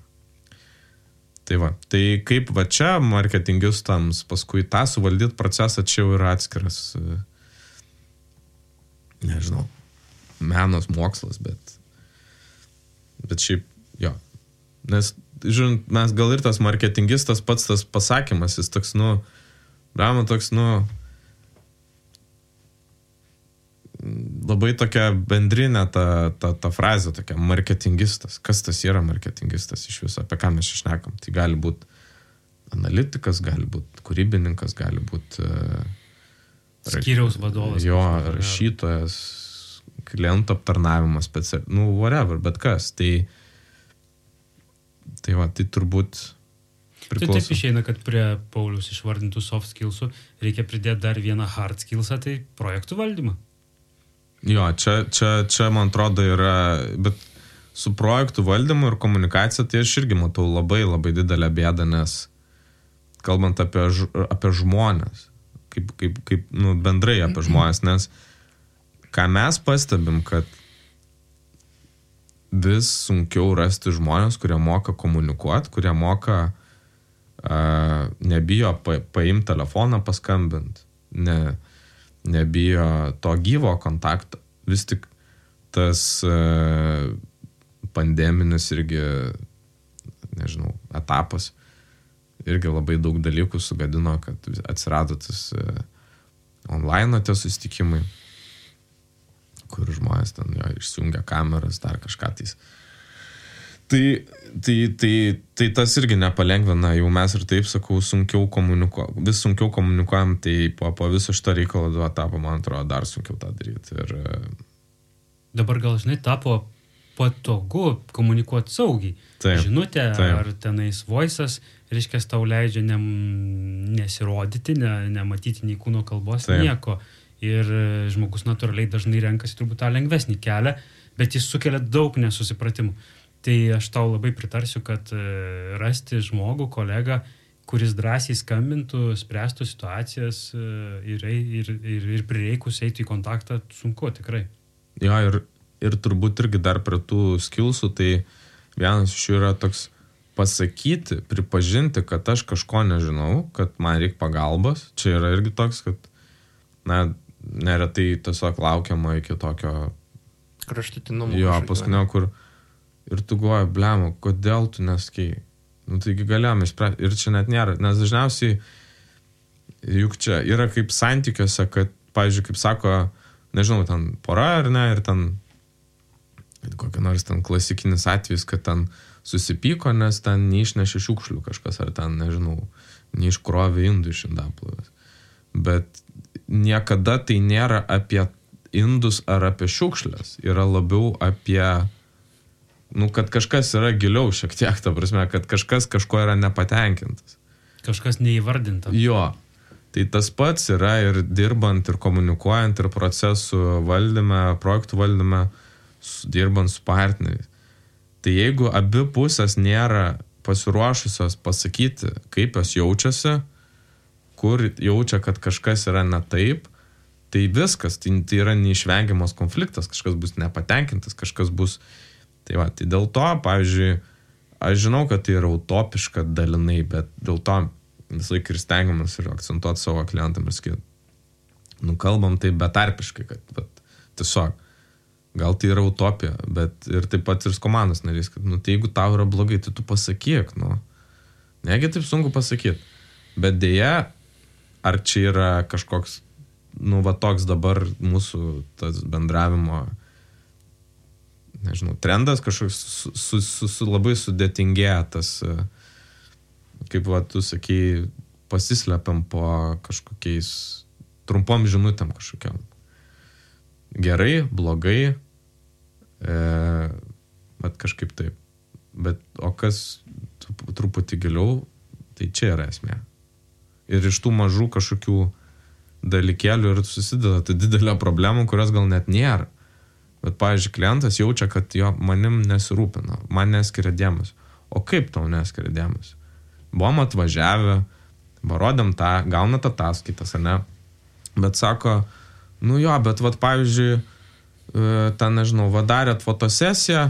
Tai kaip čia marketingistams paskui tą suvaldyti procesą, čia jau yra atskiras, nežinau, menas, mokslas, bet šiaip, jo. Nes, žiūrint, mes gal ir tas marketingistas pats tas pasakymas, jis toks, labai tokia bendrinė ta frazė, tokia marketingistas. Kas tas yra marketingistas iš viso, apie ką mes šnekam? Tai gali būti analitikas, gali būti kūrybininkas, gali būti skyriaus vadovas. Jo, rašytojas, klientų aptarnavimas, whatever, bet kas. Tai turbūt priklauso. Tai taip išeina, kad prie Pauliaus išvardintų soft skillsų reikia pridėti dar vieną hard skillsą, tai projektų valdymą. Jo, čia man atrodo yra, bet su projektų valdymu ir komunikacija, tai aš irgi matau labai labai didelę bėdą, nes kalbant apie žmonės, kaip bendrai apie žmonės, nes ką mes pastebim, kad vis sunkiau rasti žmonės, kurie moka komunikuoti, kurie moka nebijo paimti telefoną, paskambinti, nebijo to gyvo kontakto. Vis tik tas pandeminis irgi, nežinau, etapas irgi labai daug dalykų sugadino, kad atsirado tas online tie susitikimai, kur žmonės ten išsijungia kameras, dar kažką tais. Tai tas irgi nepalengvina, jau mes ir taip, sakau, vis sunkiau komunikuojam, tai po viso šito reikalo tapo, man atrodo, dar sunkiau tą daryti. Dabar gal, žinai, tapo patogu komunikuoti saugiai. Taip, žinutė taip. Ar tenais voice'as, reiškia, tau leidžia nesirodyti, nematyti nei kūno kalbos, nieko. Ir žmogus natūraliai dažnai renkasi turbūt tą lengvesnį kelią, bet jis sukelia daug nesusipratimų. Tai aš tau labai pritarsiu, kad rasti žmogų, kolegą, kuris drąsiai skambintų, spręstų situacijas ir prireikus eitų į kontaktą, sunku tikrai. Jo, ir turbūt irgi dar prie tų skillsų, tai vienas iš jų yra toks pasakyti, pripažinti, kad aš kažko nežinau, kad man reikia pagalbos. Čia yra irgi toks, kad neretai tiesiog laukiama iki tokio kraštutinumo. Jo, paskutinio, kur ir tu galvoji, blemo, kodėl tu neskėjai? Nu, taigi galėjome spręsti. Ir čia net nėra, nes dažniausiai juk čia yra kaip santykiuose, kad, pavyzdžiui, kaip sako, nežinau, ten pora ar ne, ir ten kokia nors ten klasikinis atvejis, kad ten susipyko, nes ten neišnešė šiukšlių kažkas, ar ten, nežinau, neiškrovė indų iš indaplovės. Bet niekada tai nėra apie indus ar apie šiukšlės. Yra labiau apie, kad kažkas yra giliau šiek tiek, ta prasme, kad kažkas kažko yra nepatenkintas. Kažkas neįvardinta. Jo. Tai tas pats yra ir dirbant, ir komunikuojant, ir procesų valdyme, projektų valdyme, dirbant su partneriais. Tai jeigu abi pusės nėra pasiruošusios pasakyti, kaip jos jaučiasi, kur jaučia, kad kažkas yra ne taip, tai viskas, tai yra neišvengiamas konfliktas, kažkas bus nepatenkintas, kažkas bus... Tai dėl to, pavyzdžiui, aš žinau, kad tai yra utopiška dalinai, bet dėl to vis laik ir stengiamas ir akcentuoti savo klientam ir sakyti, kalbam tai betarpiškai, kad tiesiog gal tai yra utopija, bet ir taip pat ir su komandos narys, kad, tai jeigu tau yra blogai, tai tu pasakyk, negi taip sunku pasakyti. Bet dėja, ar čia yra kažkoks, toks dabar mūsų tas bendravimo, nežinau, trendas kažkoks labai sudėtingėja tas, kaip tu sakei, pasislepiam po kažkokiais trumpom žinutėm kažkokiam. Gerai, blogai, bet kažkaip taip. Bet o kas truputį giliau, tai čia yra esmė. Ir iš tų mažų kažkokių dalykėlių ir susideda tai didelė problema, kurios gal net nėra. Bet, pavyzdžiui, klientas jaučia, kad jo manim nesirūpina, man neskiria dėmesio. O kaip tau neskiria dėmesio? Buvom atvažiavę, parodėm tą, gaunat ataskaitas, ar ne? Bet sako, bet pavyzdžiui, ten, nežinau, darėt fotosesiją,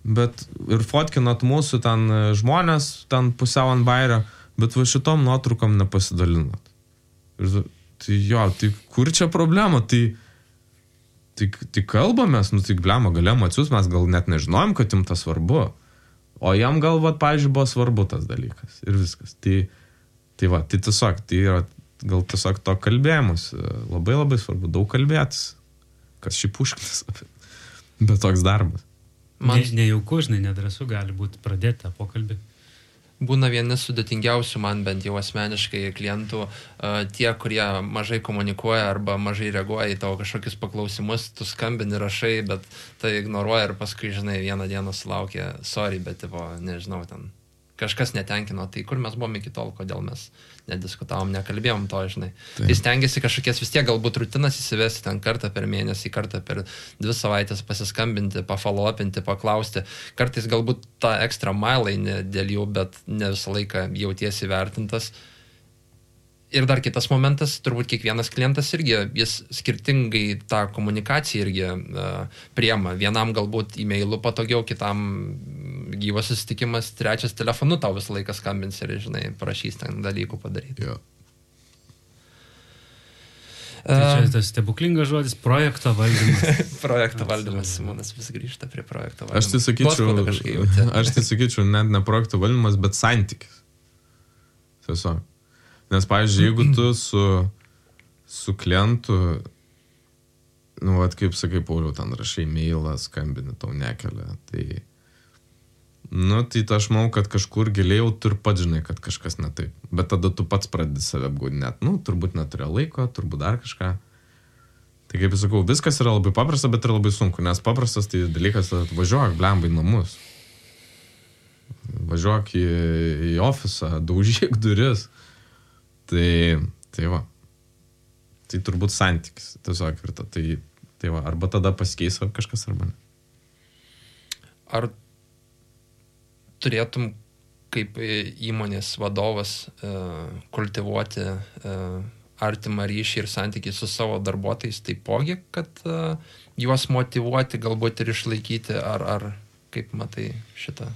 bet ir fotkinat mūsų ten žmonės, ten pusiau ant bairio, bet šitom nuotraukom nepasidalinat. Ir tai kur čia problema? Tai kalbamės, tai blema, galėjom atsiųs, mes gal net nežinojom, kad jums tas svarbu. O jam gal, pavyzdžiui, buvo svarbu tas dalykas. Ir viskas. Tai tiesiog, tai yra gal tiesiog to kalbėjimus. Labai labai svarbu, daug kalbėtis. Kas šiaip užknis, bet toks darbas. Nejauku, nedrąsu gali būti pradėti tą pokalbį. Būna vieni sudėtingiausių man bent jau asmeniškai klientų, tie, kurie mažai komunikuoja arba mažai reaguoja į tavo kažkokius paklausimus, tu skambini, rašai, bet tai ignoruoja ir paskui, vieną dieną sulaukia, sorry, bet nežinau, ten kažkas netenkino, tai kur mes buvom iki tol, kodėl mes nediskutavom, nekalbėjom to, Tai stengiasi kažkokias vis tiek galbūt rutinas įsivesti ten kartą per mėnesį, kartą per 2 savaitės pasiskambinti, pafolopinti, paklausti. Kartais galbūt tą ekstra mile eini dėl jų, bet ne visą laiką jautiesi vertintas. Ir dar kitas momentas, turbūt kiekvienas klientas irgi, jis skirtingai tą komunikaciją irgi priema. Vienam galbūt e-mailu patogiau, kitam gyvas susitikimas, trečias telefonu tau visą laiką skambins ir, prašys ten dalykų padaryti. Jo. Tai čia tas stebuklingas žodis, projekto valdymas. Projekto valdymas, Simonas vis grįžta prie projekto valdymas. Aš tai sakyčiau, net ne projekto valdymas, bet santykis. Tiesiog. Nes, pavyzdžiui, jeigu tu su klientu, kaip sakai, Pauliau, ten rašai mailą, skambini, tau nekelia, tai aš manau, kad kažkur giliau tu ir pats žinai, kad kažkas ne taip. Bet tada tu pats pradedi save apgaudinėti. Turbūt neturėjo laiko, turbūt dar kažką. Tai kaip sakau, viskas yra labai paprasta, bet yra labai sunku, nes paprastas tai dalykas, važiuok, blemba į namus. važiuok į ofisą, daužyk duris. Tai va. Tai turbūt santykis, tiesiog ir tai va, arba tada pasikeis kažkas, arba ne. Ar turėtum kaip įmonės vadovas kultivuoti artimą ryšį ir santykį su savo darbuotojais taipogi, kad juos motyvuoti, galbūt ir išlaikyti, ar kaip matai šitą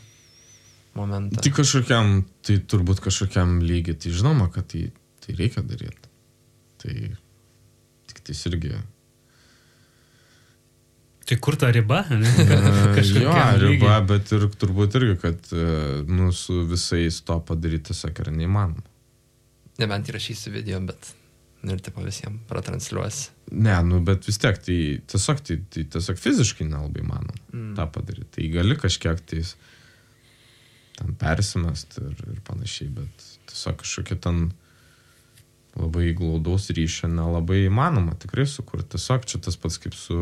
momentą? Tai turbūt kažkokiam lygiai, tai žinoma, kad tai reikia daryti. Tai tik tai irgi. Tai kur ta riba? Jo, riba, bet ir turbūt irgi, kad su visais to padaryti tiesiog yra neįmanoma. Nebent įrašysi video, bet ir tipo visiems pratransliuosi. Ne, bet vis tiek, tai tiesiog fiziškai nelabai manoma tą padaryti. Tai gali kažkiek tais ten persimest ir panašiai, bet tiesiog kažkokia ten labai glaudaus ryšio nelabai įmanoma tikrai sukurti. Tiesiog čia tas pats kaip su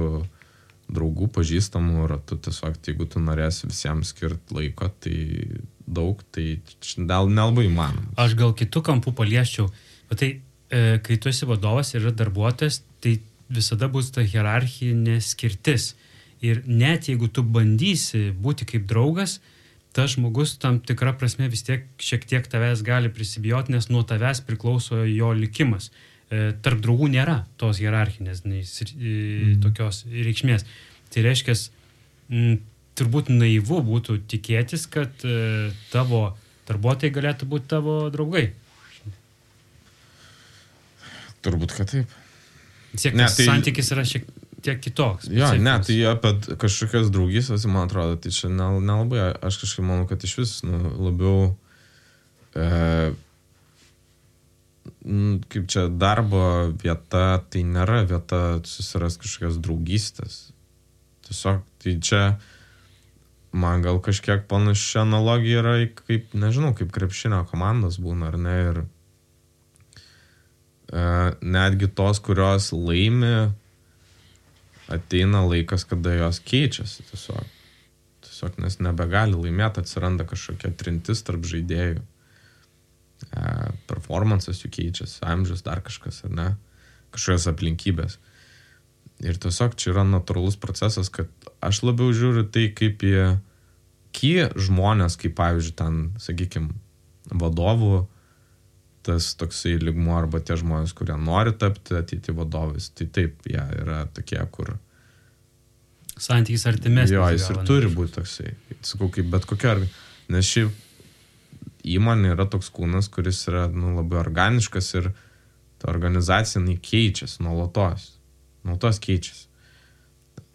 draugų pažįstamų ratu, tiesiog jeigu tu norėsi visiems skirti laiko, tai daug, tai nelabai įmanoma. Aš gal kitų kampų palieščiau, bet tai kai tu esi vadovas ir yra darbuotojas, tai visada bus ta hierarchinė skirtis. Ir net jeigu tu bandysi būti kaip draugas, tas žmogus tam tikra prasme vis tiek šiek tiek tavęs gali prisibijoti, nes nuo tavęs priklauso jo likimas. Tarp draugų nėra tos hierarchinės tokios reikšmės. Tai reiškia, turbūt naivu būtų tikėtis, kad tavo darbuotojai galėtų būti tavo draugai. Turbūt, kad taip. Santykis yra šiek tiek kitoks. Jo, tai apie kažkokias draugystės, man atrodo, tai čia nelabai. Aš kažkaip manau, kad iš vis labiau kaip čia darbo vieta, tai nėra vieta susiras kažkokias draugystės. Tiesiog, tai čia man gal kažkiek panaši analogija yra kaip, nežinau, kaip krepšinio komandos būna, ar ne, ir netgi tos, kurios laimi, ateina laikas, kada jos keičiasi tiesiog, nes nebegali laimėti, atsiranda kažkokia trintis tarp žaidėjų. Performances jų keičiasi, amžius, dar kažkas, ar ne, kažkokios aplinkybės. Ir tiesiog čia yra natūralus procesas, kad aš labiau žiūriu tai kaip žmonės, kaip pavyzdžiui ten, sakykime, vadovų, tas toksai lygmuo, arba tie žmonės, kurie nori tapti ateiti vadovais, tai taip, jie yra tokie, kur santykis artimesnis. Jo, jis ir turi būti toksai, sakau, kaip bet kokia, nes šiaip įmonė yra toks kūnas, kuris yra labai organiškas ir ta organizacija keičiasi nuolatos keičiasi.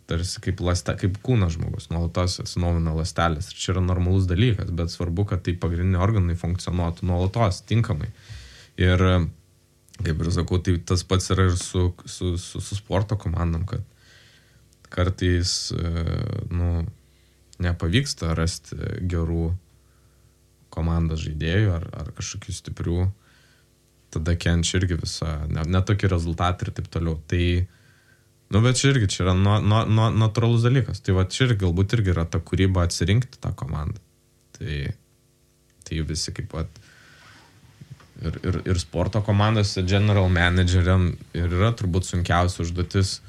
Tarsi kaip kūnas žmogus, nuolatos atsinaujina ląstelės. Ir čia yra normalus dalykas, bet svarbu, kad tai pagrindiniai organai funkcionuotų nuolatos, tinkamai. Ir, kaip ir sakau, tai tas pats yra ir su sporto komandom, kad kartais nepavyksta rasti gerų komandos žaidėjų ar kažkokių stiprių, tada kenčia irgi visą, netokį rezultatą ir taip toliau. Tai, bet čia irgi, čia yra natūralus dalykas. Tai va, čia irgi galbūt irgi yra ta kūryba atsirinkti tą komandą. Tai visi kaip pat ir sporto komandose general manageriam ir yra turbūt sunkiausia užduotis.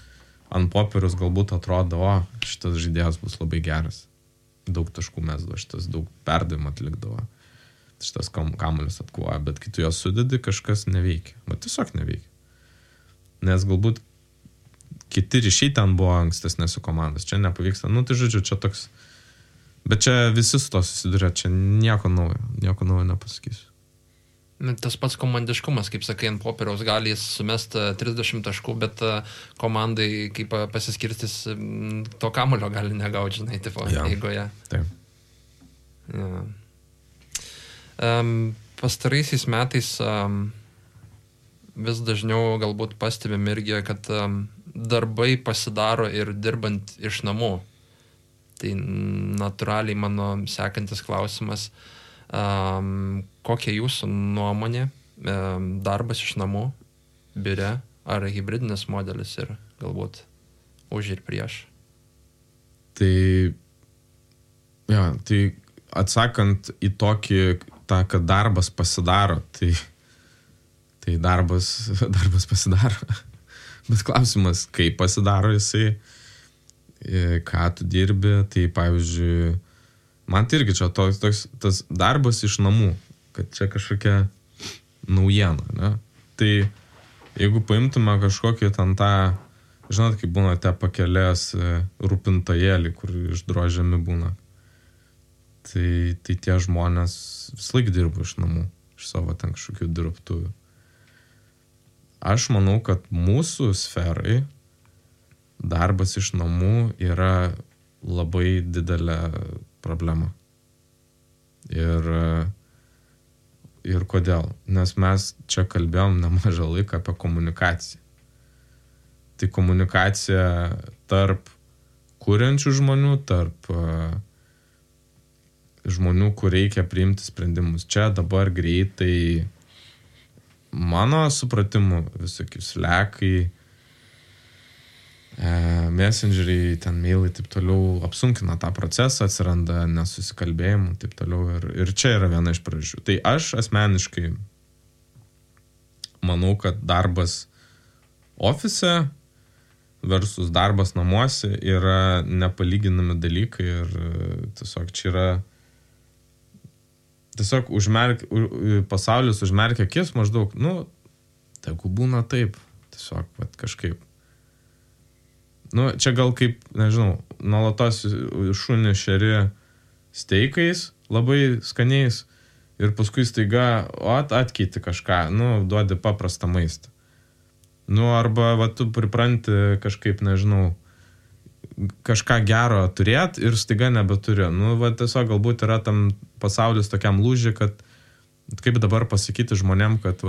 Ant popieriaus galbūt atrodo, šitas žaidėjas bus labai geras. Daug taškų mesdavo, šitas daug perdavimų atlikdavo. Šitas kamuolius atkovoja, bet kai tu jos sudedi, kažkas neveikia. Bet tiesiog neveikia. Nes galbūt kiti ryšiai ten buvo ankstesnėse komandos. Čia nepavyksta. Tai žodžiu, čia toks... Bet čia visi su to susiduria. Čia nieko naujo nepasakysiu. Tas pats komandiškumas, kaip sakai, ant popieriaus gali jis sumest 30 taškų, bet komandai, kaip pasiskirtis, to kamulio gali negauti, žinai, tipo, eigoje. Taip. Ja. Pastaraisiais metais vis dažniau galbūt pastebim irgi, kad darbai pasidaro ir dirbant iš namų. Tai natūraliai mano sekantis klausimas, kokia jūsų nuomonė, darbas iš namų, biure, ar hibridinis modelis ir galbūt už ir prieš? Tai atsakant į tokį, kad darbas pasidaro, tai darbas pasidaro. Bet klausimas, kaip pasidaro jisai, ką tu dirbi, tai pavyzdžiui, man tai irgi čia tas darbas iš namų, kad čia kažkokia naujiena, ne? Tai jeigu paimtume kažkokį ten tą, žinot, kaip būna te pakelės rūpintojėlį, kur išdrožiami būna, tai tie žmonės vis laik dirba iš namų, iš savo ten kažkokių dirbtuvių. Aš manau, kad mūsų sferai darbas iš namų yra labai didelė problema. Ir kodėl? Nes mes čia kalbėjom nemažą laiką apie komunikaciją. Tai komunikacija tarp kuriančių žmonių, tarp žmonių, kur reikia priimti sprendimus. Čia dabar greitai, mano supratimu, visokius Slackai, Messengeriai, ten mailai, taip toliau, apsunkina tą procesą, atsiranda nesusikalbėjimų, taip toliau. Ir čia yra viena iš priežasčių. Tai aš asmeniškai manau, kad darbas ofise versus darbas namuose yra nepalyginami dalykai ir tiesiog čia yra tiesiog pasaulis užmerkia akis maždaug, tegu būna taip, tiesiog kažkaip. Čia gal kaip, nežinau, nuolatos šunį šeri steikais, labai skaniais ir paskui staiga atkeiti kažką, duodi paprastą maistą. Arba tu pripranti kažkaip, nežinau, kažką gero turėt ir staiga nebeturi. Tiesiog galbūt yra tam pasaulis tokiam lūžį, kad kaip dabar pasakyti žmonėm, kad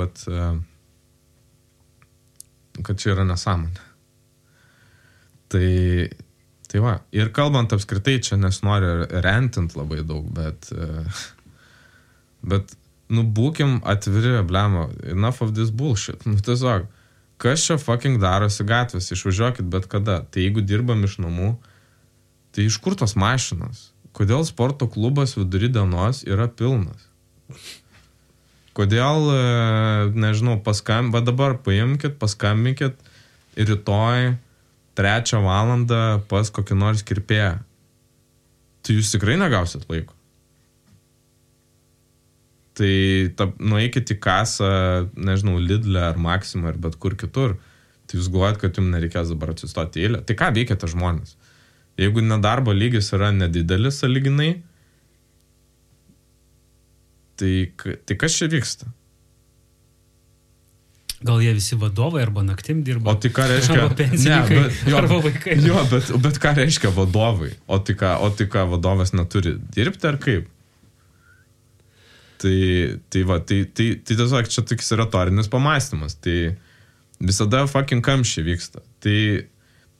čia yra nesąmonė. Tai va. Ir kalbant apskritai, čia nesinori rentint labai daug, bet būkim atviri, blemo, enough of this bullshit. Tiesiog, kas čia fucking darosi gatvės, išvažiuokit bet kada. Tai jeigu dirbam iš namų, tai iš kur tos mašinos? Kodėl sporto klubas vidury dienos yra pilnas? Kodėl, nežinau, dabar paimkit, paskambinkit rytoj 3 valandą pas kokį nors kirpėją. Tai jūs tikrai negausit laiko. Tai nueikit į kasą, nežinau, Lidl'e ar Maximą ar bet kur kitur, tai jūs galvojat, kad jums nereikės dabar atsistoti eilę. Tai ką veikiate žmonės? Jeigu nedarbo lygis yra nedidelis sąlyginai, tai kas čia vyksta? Gal jie visi vadovai arba naktim dirba? O tai ką reiškia? Arba pensininkai, arba vaikai. Jo, bet ką reiškia vadovai? O tai ką vadovas neturi dirbti ar kaip? Tai tiesiog čia toks retorinis pamąstymas. Tai visada fucking kamščiai vyksta. Tai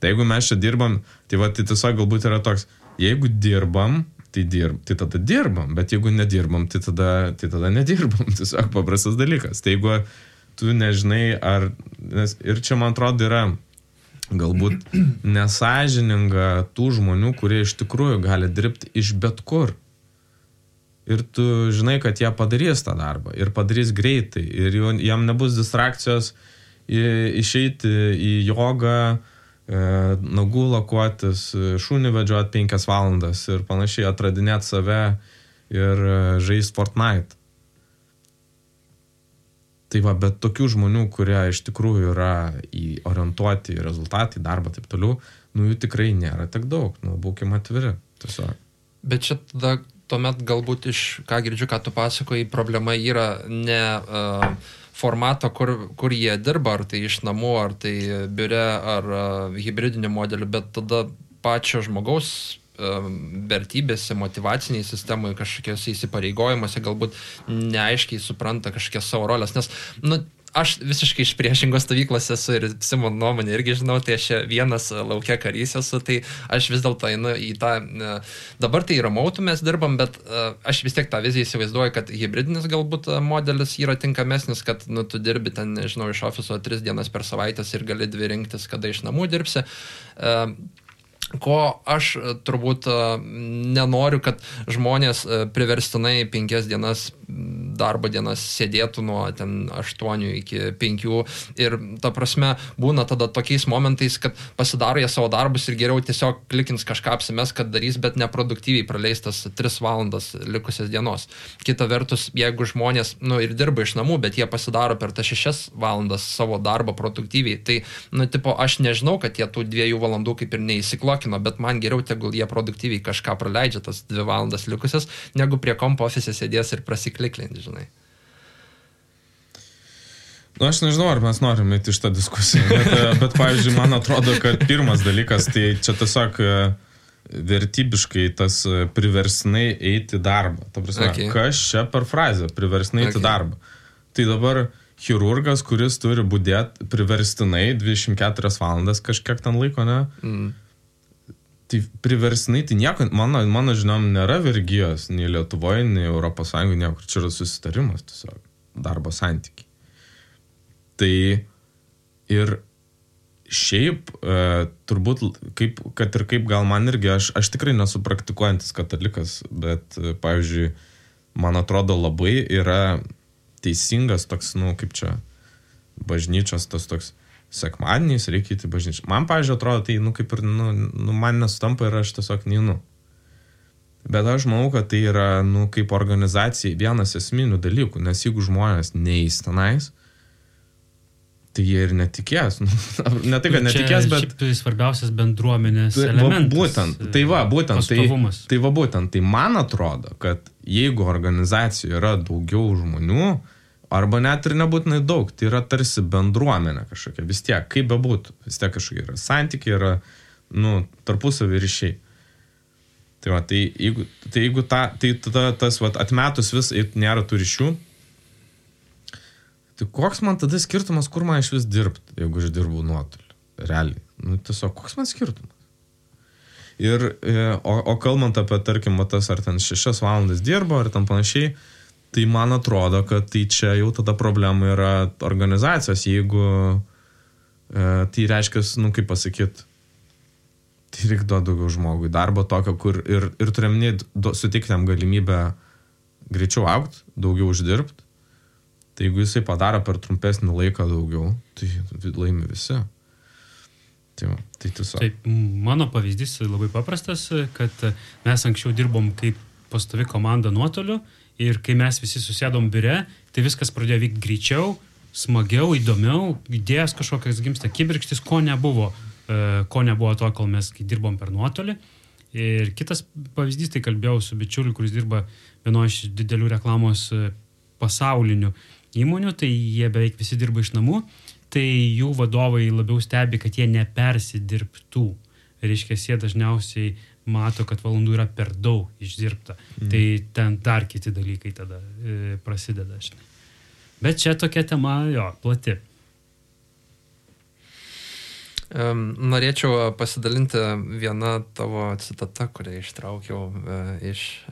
jeigu mes čia dirbam, tai tiesiog galbūt yra toks, jeigu dirbam, tai tada dirbam, bet jeigu nedirbam, tai tada nedirbam. Tiesiog paprastas dalykas. Tai jeigu tu nežinai, ir čia man atrodo yra galbūt nesąžininga tų žmonių, kurie iš tikrųjų gali dirbti iš bet kur. Ir tu žinai, kad jie padarys tą darbą ir padarys greitai ir jam nebus distrakcijos išeiti į jogą, nagų lakuotis, šunį vedžioti 5 valandas ir panašiai atradinėti save ir žaisti Fortnite. Tai bet tokių žmonių, kurie iš tikrųjų yra orientuoti į rezultatą, į darbą, taip toliau, jų tikrai nėra tiek daug, būkim atviri. Tiesiog. Bet čia tada tuomet galbūt ką girdžiu, ką tu pasakoji, problema yra ne formato, kur jie dirba, ar tai iš namų, ar tai biure, ar hibridinių modelių, bet tada pačio žmogaus vertybėse, motyvaciniai sistemai, kažkokiose įsipareigojimuose galbūt neaiškiai supranta kažkokias savo rolės, nes, aš visiškai iš priešingos stovyklos esu ir Simon nuomonė irgi žinau, tai aš vienas laukia karys esu, tai aš vis dėlto einu į tą, dabar tai remote mes dirbam, bet aš vis tiek tą viziją įsivaizduoju, kad hybridinis galbūt modelis yra tinkamesnis, kad tu dirbi ten, nežinau, iš ofiso 3 dienas per savaitę ir gali 2 rinktis, kada iš namų dirbsi. ko aš turbūt nenoriu, kad žmonės priverstinai 5 dienas darbo dienas sėdėtų nuo 8 iki 5 ir ta prasme būna tada tokiais momentais, kad pasidaro jie savo darbus ir geriau tiesiog klikins kažką apsimes, kad darys, bet neproduktyviai praleistas 3 valandas likusias dienos. Kita vertus, jeigu žmonės ir dirba iš namų, bet jie pasidaro per tas 6 valandas savo darbą produktyviai, tai, aš nežinau, kad jie tų 2 valandų kaip ir neįsiklokino, bet man geriau tegul jie produktyviai kažką praleidžia tas 2 valandas likusias, negu prie kompo ofise sėdės ir prasikliklinti, žinai. Aš nežinau, ar mes norim eiti iš tą diskusiją, bet pavyzdžiui, man atrodo, kad pirmas dalykas, tai čia tiesiog vertybiškai tas priverstinai eiti darbą. Ta prasme, kas čia per frazę priverstinai eiti darbą? Tai dabar chirurgas, kuris turi budėti priverstinai 24 valandas kažkiek ten laiko, ne? Tai priverstinai, tai nieko, mano žinom, nėra vergijos nei Lietuvoje, nei Europos Sąjungoje, niekur. Čia yra susitarimas tiesiog, darbo santykiai. Tai ir šiaip, turbūt, kad ir kaip gal man irgi, aš tikrai nesu praktikuojantis katalikas, bet, pavyzdžiui, man atrodo labai yra teisingas toks, kaip čia, bažnyčios tas toks, sekmadieniais reikia įti bažnyčią. Man, pavyzdžiui, atrodo, tai, kaip ir, man nesutampa ir aš tiesiog neinu. Bet aš manau, kad tai yra, kaip organizacijai vienas esminių dalykų, nes jeigu žmonės neįs tenais, tai jie ir netikės. Ne tai, kad netikės, bet... Čia svarbiausias bendruomenės elementas. Būtent. Tai man atrodo, kad jeigu organizacijoje yra daugiau žmonių, arba net ir nebūtinai daug, tai yra tarsi bendruomenė kažkokia, vis tiek, kaip bebūtų, vis tiek kažkokia yra santykiai, yra, tarpusavį ryšiai. Tai jeigu tas atmetus vis nėra tų ryšių, tai koks man tada skirtumas, kur man iš vis dirbti, jeigu aš dirbu nuotoliu, realiai. Tiesiog, koks man skirtumas? O kalbant apie, tarkim, tas ar ten 6 valandas dirbo, ar ten panašiai, tai man atrodo, kad tai čia jau tada problema yra organizacijos, jeigu tai reiškia, kaip pasakyti, tai reikia duoti daugiau žmogui darbo tokio, kur ir turėminį sutikti jam galimybę greičiau augti, daugiau uždirbti. Tai jeigu jisai padaro per trumpesnį laiką daugiau, tai laimi visi. Tai tiesiog. Taip, mano pavyzdys labai paprastas, kad mes anksčiau dirbom kaip pastovi komanda nuotoliu ir kai mes visi susėdom biure, tai viskas pradėjo vykti greičiau, smagiau, įdomiau, idėjas kažkokias gimsta kibirkštis, ko nebuvo to, kol mes dirbom per nuotolį. Ir kitas pavyzdys, tai kalbėjau su bičiuliu, kuris dirba vienoje iš didelių reklamos pasaulinių įmonių, tai jie beveik visi dirba iš namų, tai jų vadovai labiau stebi, kad jie nepersidirbtų. Reiškia, jie dažniausiai mato, kad valandų yra per daug išdirbta. Tai ten dar kiti dalykai tada prasideda. Žinai. Bet čia tokia tema, plati. Norėčiau pasidalinti vieną tavo citatą, kurią ištraukiau iš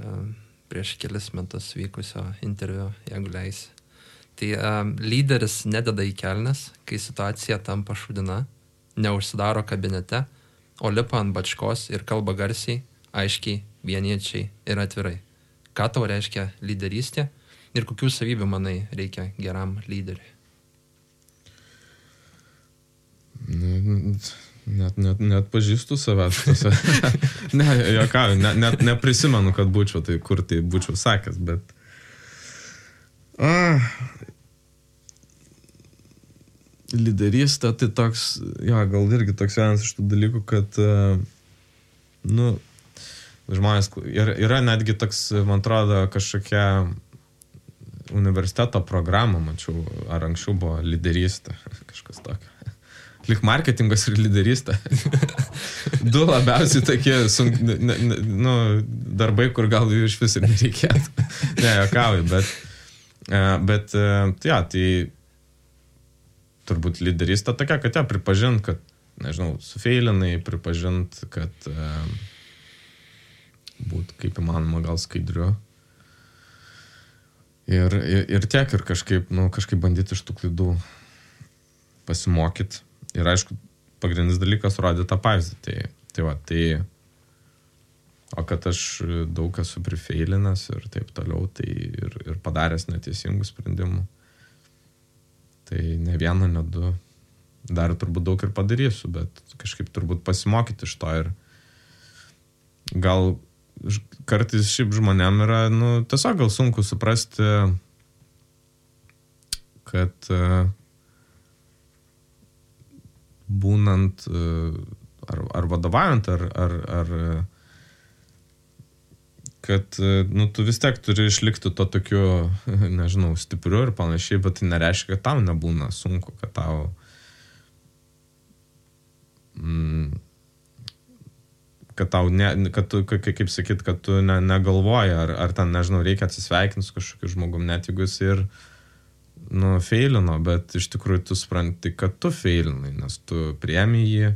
prieš kelis metus vykusio interviu, jeigu leisi. Tai lyderis nededa į kelnes, kai situacija tampa šūdina, neužsidaro kabinete, o lipa ant bačkos ir kalba garsiai, aiškiai, vieniečiai ir atvirai. Ką tau reiškia lyderystė ir kokių savybių, manai, reikia geram lyderiui? Net pažįstu savęs. Ne, jokau, net neprisimenu, kad būčiau, tai kur tai būčiau sakęs, bet... Lyderystė, tai toks, gal irgi toks vienas iš tų dalykų, kad, žmonės, yra netgi toks, man atrodo, kažkokia universiteto programa, mačiau, ar anksčiau buvo lyderystė, kažkas tokio. Lik marketingas ir lyderystė. Du labiausiai tokie darbai, kur gal iš vis ir nereikėtų. Ne, jokauju, bet tai turbūt lyderystė tokia, kad pripažint, kad, nežinau, sufeilinai, pripažint, kad būt kaip įmanoma gal skaidriu. Ir tiek, ir kažkaip bandyti iš tų klaidų pasimokyti. Ir aišku, pagrindinis dalykas rodė tą pavyzdį. Tai va, tai... O kad aš daug esu prifeilinęs ir taip toliau, tai ir padaręs neteisingų sprendimų. Tai ne vieną, ne du. Dar turbūt daug ir padarysiu, bet kažkaip turbūt pasimokyti iš to ir gal kartais šiaip žmonėm yra, tiesiog gal sunku suprasti, kad būnant ar vadovaujant, ar kad, tu vis tiek turi išlikti to tokiu, nežinau, stipriu ir panašiai, bet tai nereiškia, kad tau nebūna sunku, kad tau kad tau, kad tu, kaip sakyt, kad tu negalvoji, ar ten, nežinau, reikia atsisveikinti su kažkokiu žmogum, net jeigu jis ir, feilino, bet iš tikrųjų tu supranti, kad tu feilinai, nes tu priemi jį,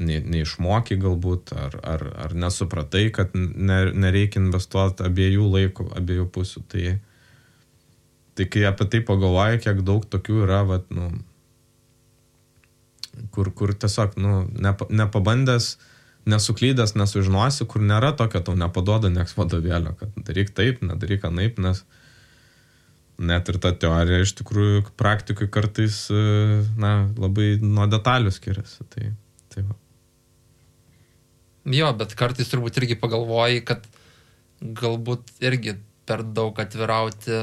neišmokai galbūt, ar nesupratai, kad nereikia investuoti abiejų laikų, abiejų pusių. Tai kai apie tai pagalvoji, kiek daug tokių yra, kur tiesiog, nepabandęs, nesuklydęs, nesužinosi, kur nėra tokio, tau nepaduoda nieks vadovėlio, kad daryk taip, nedaryk anaip, nes net ir ta teorija iš tikrųjų praktikui kartais, labai nuo detalių skiriasi. Tai va. Jo, bet kartais turbūt irgi pagalvoji, kad galbūt irgi per daug atvirauti,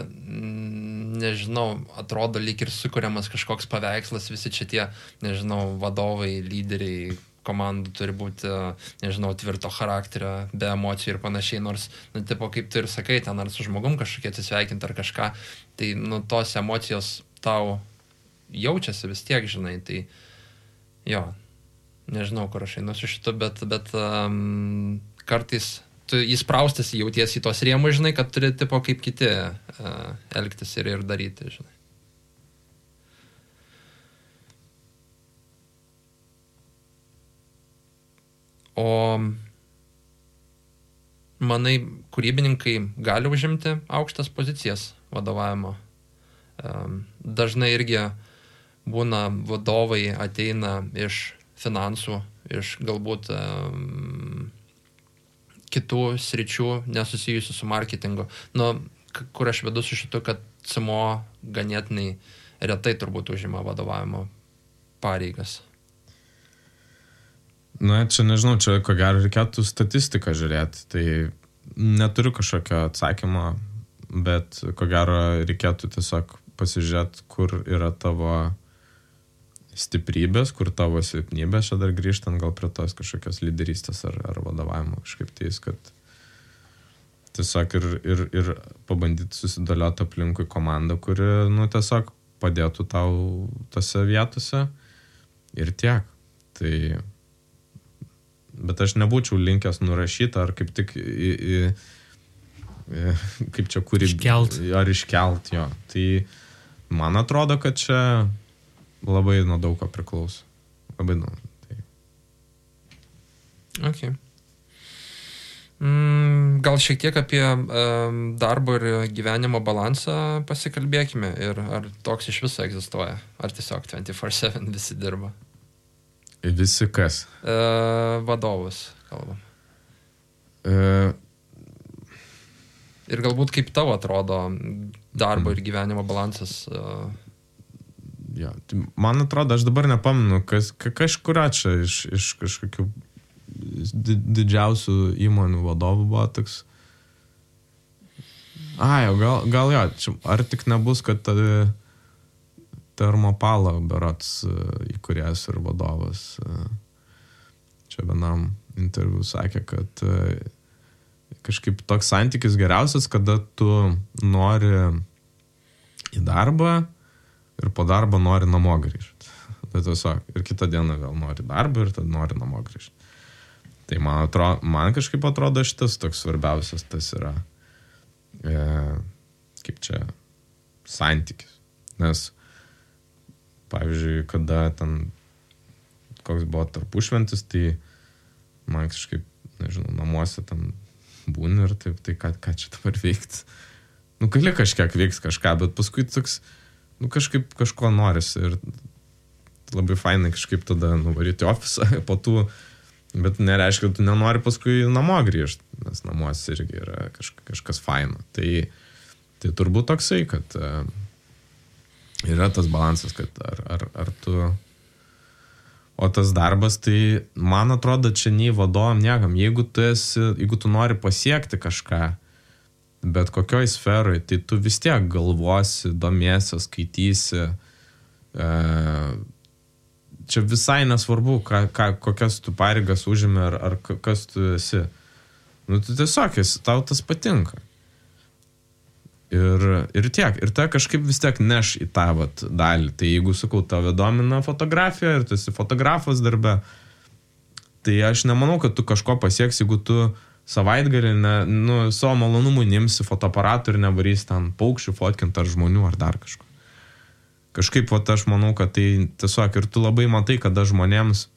nežinau, atrodo lyg ir sukuriamas kažkoks paveikslas, visi čia tie, nežinau, vadovai, lyderiai, komandų turi būti, nežinau, tvirto charakterio, be emocijų ir panašiai, nors, tipo, kaip tu ir sakai, ten ar su žmogum kažkokie atsisveikinti ar kažką, tai, tos emocijos tau jaučiasi vis tiek, žinai, tai, jo, nežinau, kur aš einu su šitu, bet kartais tu įspraustas jautiesi į tos rėmus, žinai, kad turi, tipo, kaip kiti elgtis ir daryti, žinai. O manai, kūrybininkai gali užimti aukštas pozicijas vadovavimo? Dažnai irgi būna vadovai ateina iš finansų, iš galbūt kitų sričių nesusijusių su marketingu. Kur aš vedu su šitu, kad CMO ganėtinai retai turbūt užima vadovavimo pareigas. Čia nežinau, čia ko gero reikėtų statistiką žiūrėti. Tai neturiu kažkokio atsakymo, bet ko gero reikėtų tiesiog pasižiūrėti, kur yra tavo stiprybės, kur tavo silpnybės, čia dar grįžtant gal prie tos kažkokios lyderystės ar vadovavimo kažkaip tais, kad tiesiog ir pabandyti susidėlioti aplinkui komandą, kuri, tiesiog padėtų tau tose vietose ir tiek. Tai, bet aš nebūčiau linkęs nurašyti ar kaip tik kaip čia iškelt, jo. Tai man atrodo, kad čia labai nuo daug ko priklauso. Labai nuo. Tai. Okay. Gal šiek tiek apie darbo ir gyvenimo balansą pasikalbėkime ir ar toks iš viso egzistuoja, ar tiesiog 24/7 visi dirba? Visi kas? Vadovus kalbam. Ir galbūt kaip tavo atrodo darbo ir gyvenimo balansas? Ja, tai man atrodo, aš dabar nepamenu, kažkuria čia iš kažkokių didžiausių įmonių vadovų buvo toks. Gal jo, čia, ar tik nebus, kad Termopalo berods įkūrėjas ir vadovas čia vienam interviu sakė, kad kažkaip toks santykis geriausias, kada tu nori į darbą ir po darbo nori namo grįžti. Tai tiesiog, ir kitą dieną vėl nori darbą ir tada nori namo grįžti. Tai man kažkaip atrodo šitas toks svarbiausias, tas yra kaip čia santykis. Nes, pavyzdžiui, kada ten koks buvo tarpušventis, tai man kažkaip, nežinau, namuose ten būni ir taip, tai ką čia dabar veikti. Gali kažkiek veiks kažką, bet paskui toks, kažkaip kažko norisi ir labai fainai kažkaip tada nuvaryti į ofisą po tų Bet nereiškia, kad tu nenori paskui namo grįžti, nes namuose irgi yra kažkas faino. Tai turbūt toksai, kad yra tas balansas, kad ar tu... O tas darbas, tai man atrodo, čia nei vadovam niekam. Jeigu tu nori pasiekti kažką, bet kokioj sferoj, tai tu vis tiek galvosi, domiesi, skaitysi. Čia visai nesvarbu, kokias tu pareigas užimi ar kas tu esi. Nu, tu tiesiog tau tas patinka. Ir tiek. Ir ta kažkaip vis tiek neš į tą dalį. Tai jeigu, sakau, tave domina fotografija ir tu esi fotografas darbe, tai aš nemanau, kad tu kažko pasieks, jeigu tu savaitgalį savo malonumų nimsi fotoaparatų ir nevarys ten paukščių fotkint ar žmonių ar dar kažko. Kažkaip aš manau, kad tai tiesiog ir tu labai matai, kada žmonėms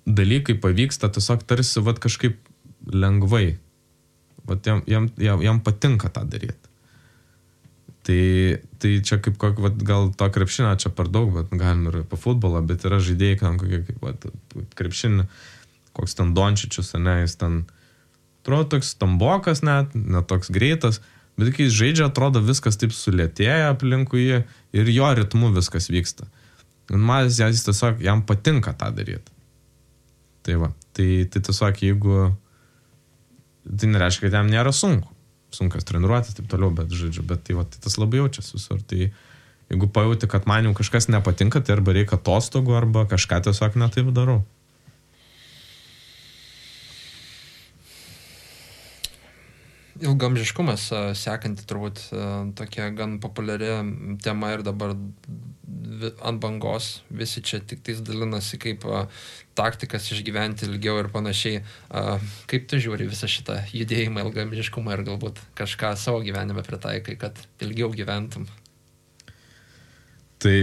dalykai pavyksta tiesiog tarsi kažkaip lengvai. Jam patinka tą daryti. Tai čia kaip gal to krepšinio čia per daug, bet galim ir po futbolą, bet yra žaidėjai, kaip krepšinį, koks ten Dončičius, jis ten atrodo toks stambokas net toks greitas, bet kai jis žaidžia, atrodo viskas taip sulėtėja aplinkui jį ir jo ritmu viskas vyksta. Ir man jis tiesiog, jam patinka tą daryti. Tai tiesiog jeigu tai nereiškia, kad jam nėra sunkas treniruotis, taip toliau, bet tai tas labai jaučiasi visur. Tai jeigu pajauti, kad man jau kažkas nepatinka, tai arba reikia atostogų, arba kažką tiesiog netaip darau. Ilgamžiškumas sekanti turbūt tokia gan populiari tema ir dabar ant bangos visi čia tik tais dalinasi kaip taktikas išgyventi ilgiau ir panašiai. Kaip tu žiūri visą šitą judėjimą, ilgamžiškumą ir galbūt kažką savo gyvenime pritaikai, kad ilgiau gyventum? Tai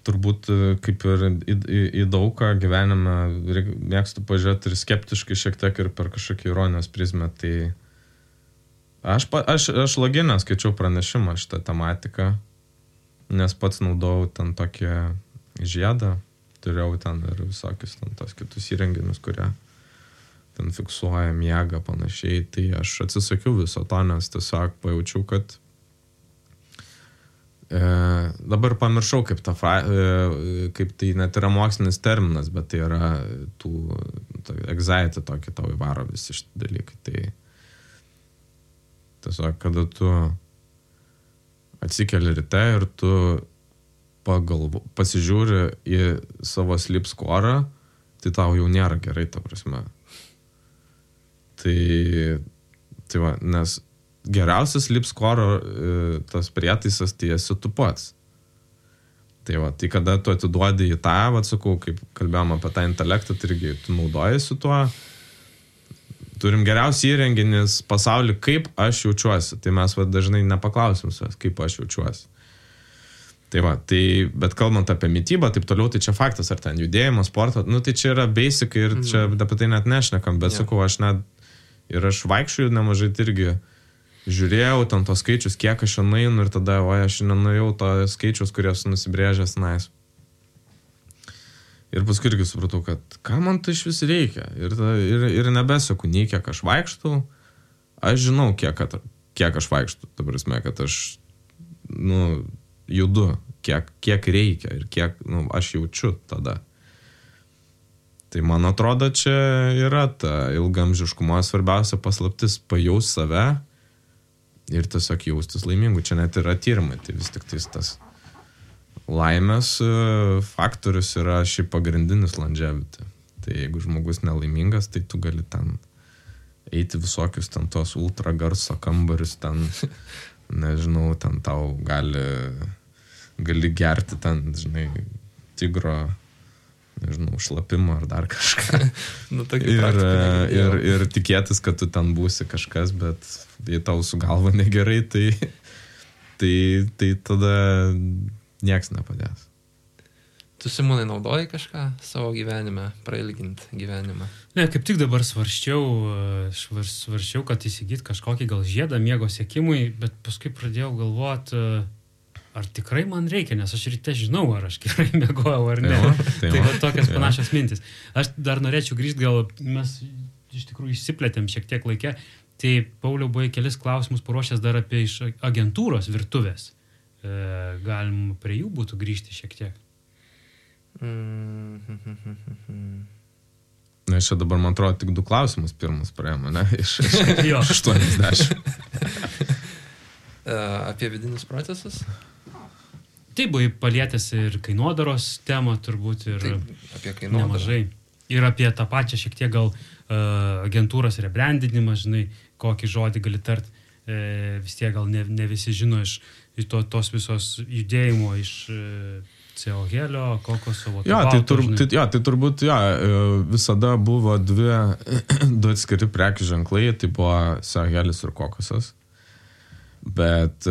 turbūt kaip ir į daugą gyvenime mėgstu pažiūrėti ir skeptiškai šiek tiek ir per kažkokį ironijos prizmę. Tai Aš loginę skaičiau pranešimą šitą tematiką, nes pats naudojau ten tokį žiedą, turėjau ten ir visokius ten tos kitus įrenginius, kurie ten fiksuoja miegą panašiai. Tai aš atsisakiau viso to, nes tiesiog pajaučiau, kad dabar pamiršau, kaip tai net yra mokslinis terminas, bet tai yra anxiety tokį tau įvaro visi šitie dalykai. Tai tiesiog, kada tu atsikeli ryte ir tu pasižiūri į savo sleep score, tai tau jau nėra gerai, ta prasme. Tai nes geriausias sleep score tas prietaisas, tai esi tu pats. Tai kada tu atiduodi į tą, sakau, kaip kalbėjom apie tą intelektą, tai irgi tu naudojasi tuo. Turim geriausią įrenginis pasaulį, kaip aš jaučiuosi. Tai mes dažnai nepaklausim savęs, kaip aš jaučiuosi. Bet kalbant apie mitybą, taip toliau, tai čia faktas, ar ten judėjimo, sporto, tai čia yra basic ir čia apie tai net nešnekam, bet sakau, aš vaikščiu nemažai irgi žiūrėjau ten tos skaičius, kiek aš nueinu ir tada, aš nenuėjau to skaičius, kurios nusibrėžęs nais. Ir paskui irgi supratau, kad ką man tai iš vis reikia. Ir nebesaku, nei kiek aš vaikštau. Aš žinau, kiek aš vaikštau. Ta prasme, kad aš judu, kiek reikia ir kiek aš jaučiu tada. Tai man atrodo, čia yra ta ilgamžiškumo svarbiausia paslaptis pajaus save ir tiesiog jaustis laimingu. Čia net yra tyrimai, tai vis tik tas laimės faktorius yra šiaip pagrindinis longevity. Tai jeigu žmogus nelaimingas, tai tu gali ten eiti visokius ten tos ultra garso kambarius, ten, nežinau, ten tau gali gerti ten, žinai, tigro, nežinau, šlapimą ar dar kažką. Ir tikėtis, kad tu ten būsi kažkas, bet jei tau su galva negerai, tai tada nieks nepadės. Tu, Simonai, naudoji kažką savo gyvenime, prailginti gyvenimą? Ne, kaip tik dabar svarsčiau, kad įsigyti kažkokį gal žiedą miego siekimui, bet paskui pradėjau galvoti, ar tikrai man reikia, nes aš ryte žinau, ar aš gerai miegojau ar ne. Tai va tokias panašios mintis. Aš dar norėčiau grįžti, gal mes iš tikrųjų išsiplėtėm šiek tiek laikę. Tai Pauliau buvo kelis klausimus paruošęs dar apie iš agentūros virtuvės. Galim prie jų būtų grįžti šiek tiek. Na, čia dabar, man atrodo, tik 2 klausimus pirmus praėjome, ne? Iš 80. Apie vidinius procesus? Tai buvo palietęs ir kainodaros temą turbūt ir apie kainodarą. Nemažai. Ir apie tą pačią šiek tiek gal agentūros rebrandinimą, žinai, kokį žodį gali tart. Vis tiek gal ne visi žino iš tos visos judėjimo iš CO helio, kokoso, tai turbūt visada buvo 2 atskiri prekių ženklai, tai buvo CO helis ir kokosas. Bet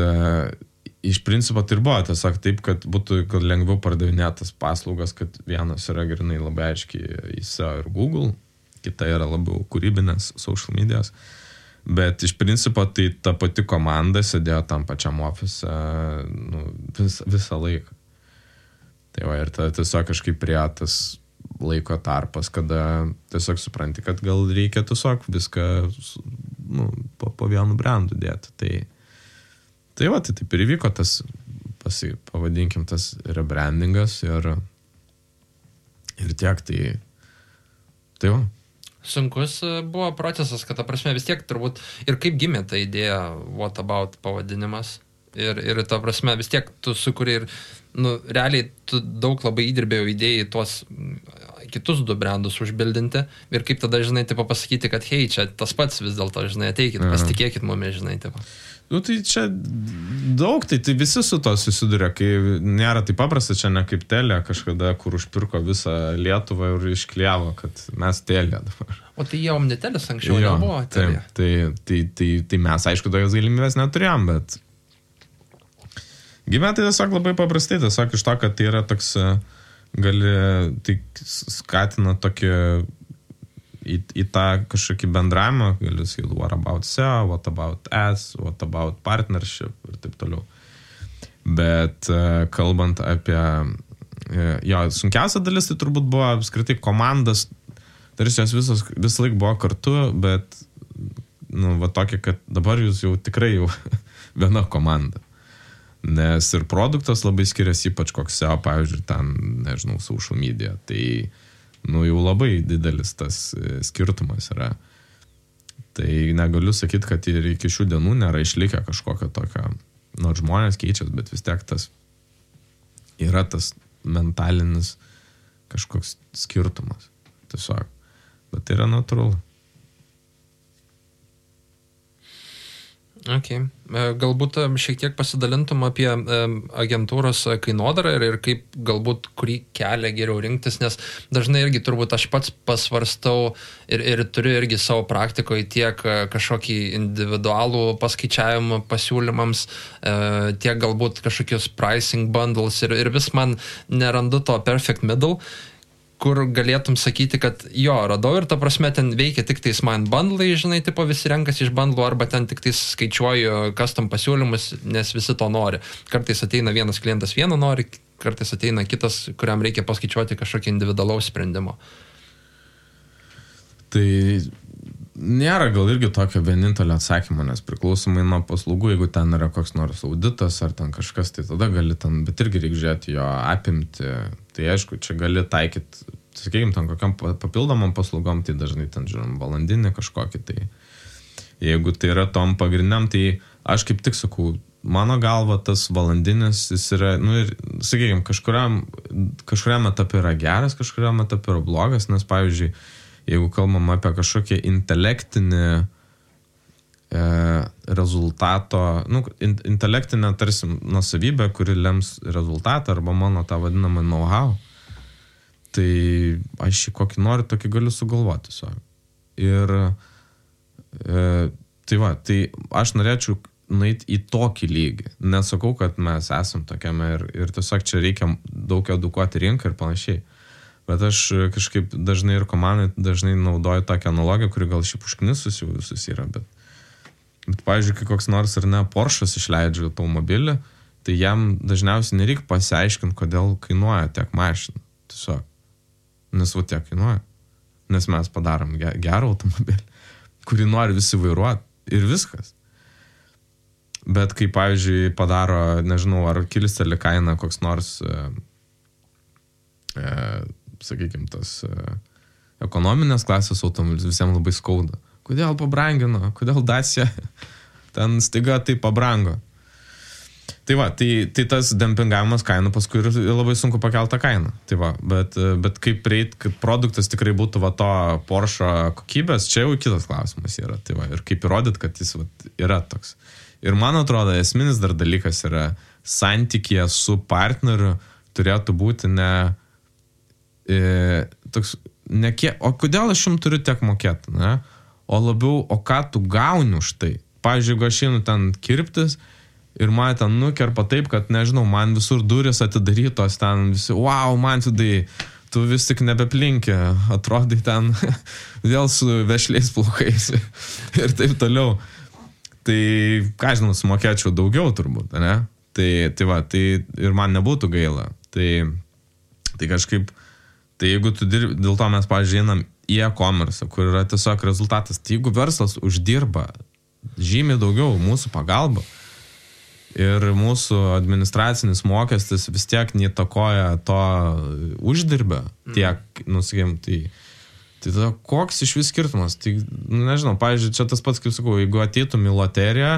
iš principo tai ir buvo tiesiog taip, kad būtų lengviau pardavinėtas paslaugas, kad vienas yra grinai labai aiškiai į SEO ir Google, kita yra labiau kūrybinės social medijos. Bet iš principo tai ta pati komanda sėdėjo tam pačiam ofise visą laiką. Tai va, ir tiesiog kažkaip prie tas laiko tarpas, kada tiesiog supranti, kad gal reikia tiesiog viską po vienu brandu dėti. Tai taip ir įvyko tas, pavadinkim, tas rebrandingas ir tiek, tai va. Sunkus buvo procesas, kad ta prasme vis tiek turbūt ir kaip gimė ta idėja What About pavadinimas ir ta prasme vis tiek tu sukuri ir realiai tu daug labai įdirbėjau idėjai tuos kitus 2 brandus užbildinti ir kaip tada, žinai, tipo pasakyti, kad hei, čia tas pats vis dėlto, žinai, ateikit, pasitikėkit mumis, žinai, tipo. Tai čia daug, tai visi su to susiduria, kai nėra taip paprasta, čia ne kaip Telia kažkada, kur užpirko visą Lietuvą ir išklijavo, kad mes Telia dabar. O tai jau Omnitelis anksčiau nebuvo Telia. Tai mes, aišku, tokios galimybės neturėjom, bet gimė tai tiesiog labai paprastai, tiesiog iš to, kad tai yra toks, tai skatina tokį į tą kažkokį bendravimą, gali sakyti, what about SEO, what about ads, what about partnership ir taip toliau. Bet kalbant apie, sunkiausia dalis tai turbūt buvo apskritai komandas, tarsi jos visą laik buvo kartu, bet, tokia, kad dabar jūs jau tikrai jau viena komanda. Nes ir produktas labai skiriasi, ypač koks SEO, pavyzdžiui, ten, nežinau, social media. Tai, jau labai didelis tas skirtumas yra. Tai negaliu sakyti, kad ir iki šių dienų nėra išlikę kažkokio tokio, nors žmonės keičias, bet vis tiek tas yra tas mentalinis kažkoks skirtumas. Tiesiog. Bet tai yra natūralu. Okay. Galbūt šiek tiek pasidalintum apie agentūros kainodarą ir kaip galbūt kurį kelią geriau rinktis, nes dažnai irgi turbūt aš pats pasvarstau ir turiu irgi savo praktikoje tiek kažkokį individualų paskaičiavimą pasiūlymams, tiek galbūt kažkokius pricing bundles ir vis man nerandu to perfect middle, kur galėtum sakyti, kad radau ir ta prasme ten veikia tik tais man bundlai, žinai, tipo visi renkasi iš bundlų arba ten tik tais skaičiuoju custom pasiūlymus, nes visi to nori. Kartais ateina vienas klientas vieno nori, kartais ateina kitas, kuriam reikia paskaičiuoti kažkokį individualaus sprendimo. Tai nėra gal irgi tokio vienintelio atsakymo, nes priklausomai nuo paslaugų, jeigu ten yra koks nors auditas ar ten kažkas, tai tada gali ten, bet irgi reikia žiūrėti jo apimti. Tai aišku, čia gali taikyti, sakykime, ten kokiam papildomam paslaugom, tai dažnai ten, žiūrim, valandinį kažkokį. Tai jeigu tai yra tom pagrindiniam, tai aš kaip tik sakau, mano galva tas valandinis, jis yra, ir, sakykime, kažkuriam etapui yra geras, kažkuriam etapui yra blogas, nes, pavyzdžiui, jeigu kalbam apie kažkokį intelektinį rezultato, intelektinę tarsi nuosavybę, kuri lems rezultatą arba mano tą vadinamą know-how, tai aš kokį noriu, tokį galiu sugalvoti tiesiog. Ir tai aš norėčiau nueiti į tokį lygį. Nesakau, kad mes esam tokiame ir tiesiog čia reikia daug edukuoti rinką ir panašiai. Bet aš kažkaip dažnai ir komandai dažnai naudoju tokią analogiją, kuri gal šiaip užknisus jau visus yra, bet pavyzdžiui, kai koks nors ar ne Porsche'as išleidžia automobilį, tai jam dažniausiai nereikia pasiaiškinti, kodėl kainuoja tiek mašina. Tiesiog. Nes va tiek kainuoja. Nes mes padarom gerą automobilį, kurį nori visi vairuoti ir viskas. Bet kai, pavyzdžiui, padaro, nežinau, ar kilsteli kainą koks nors, sakykime, tas ekonominės klasės automobilis, visiems labai skauda. Kodėl pabrangino, kodėl Dacia ten staiga tai pabrango. Tai va, tai tas dempingavimas kainų paskui ir labai sunku pakeltą kainą. Tai va, bet kaip prieit, kad produktas tikrai būtų va to Porsche kokybės, čia jau kitas klausimas yra. Tai va, ir kaip įrodyt, kad jis va, yra toks. Ir man atrodo, esminis dar dalykas yra santykėje su partneriu turėtų būti toks, o kodėl aš jums turiu tiek mokėti, ne? O labiau, o ką tu gauni už tai? Pavyzdžiui, jeigu aš einu ten kirptis, ir man ten nukerpa taip, kad, nežinau, man visur durys atidarytos, ten visi, wow, man tu vis tik nebeplinki, atrodai ten vėl su vešliais plaukais ir taip toliau. Tai, ką žinau, sumokėčiau daugiau turbūt, ne? Tai va, tai ir man nebūtų gaila. Tai kažkaip, tai jeigu tu dirbi, dėl to mes, pavyzdžiui, einam į e-commerce, kur yra tiesiog rezultatas, tai jeigu verslas uždirba žymiai daugiau mūsų pagalba, ir mūsų administracinis mokestis vis tiek neįtakoja to uždirbę tiek, sakykime, tai tada koks iš vis skirtumas? Tai, nežinau, pavyzdžiui, čia tas pats, kaip sakau, jeigu ateitum į loteriją,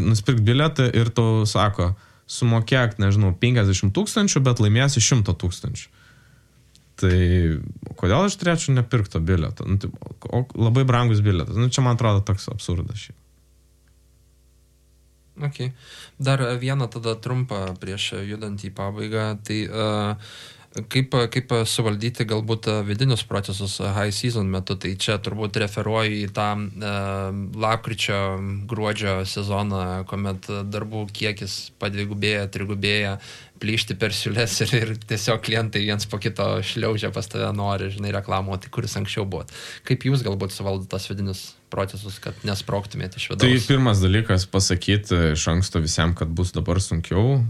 nusipirk bilietą ir tau sako, sumokėk, nežinau, 50 000, bet laimėsi 100 000. Tai kodėl aš turėčiau nepirkto bilietą? Labai brangus bilietas. Čia man atrodo toks absurdas šiaip. Okay. Dar vieną tada trumpą prieš judant į pabaigą. Tai kaip suvaldyti galbūt vidinius procesus high season metu? Tai čia turbūt referuoju į tą lapkričio, gruodžio sezoną, kuomet darbų kiekis padvigubėja, trigubėja, plyšti per siūles ir tiesiog klientai viens po kito šliaužia pas tave, nori, žinai, reklamuoti, kuris anksčiau buvo. Kaip jūs galbūt suvaldot tas vidinius procesus, kad nesprogtumėte iš vidaus? Tai pirmas dalykas pasakyti iš anksto visiems, kad bus dabar sunkiau,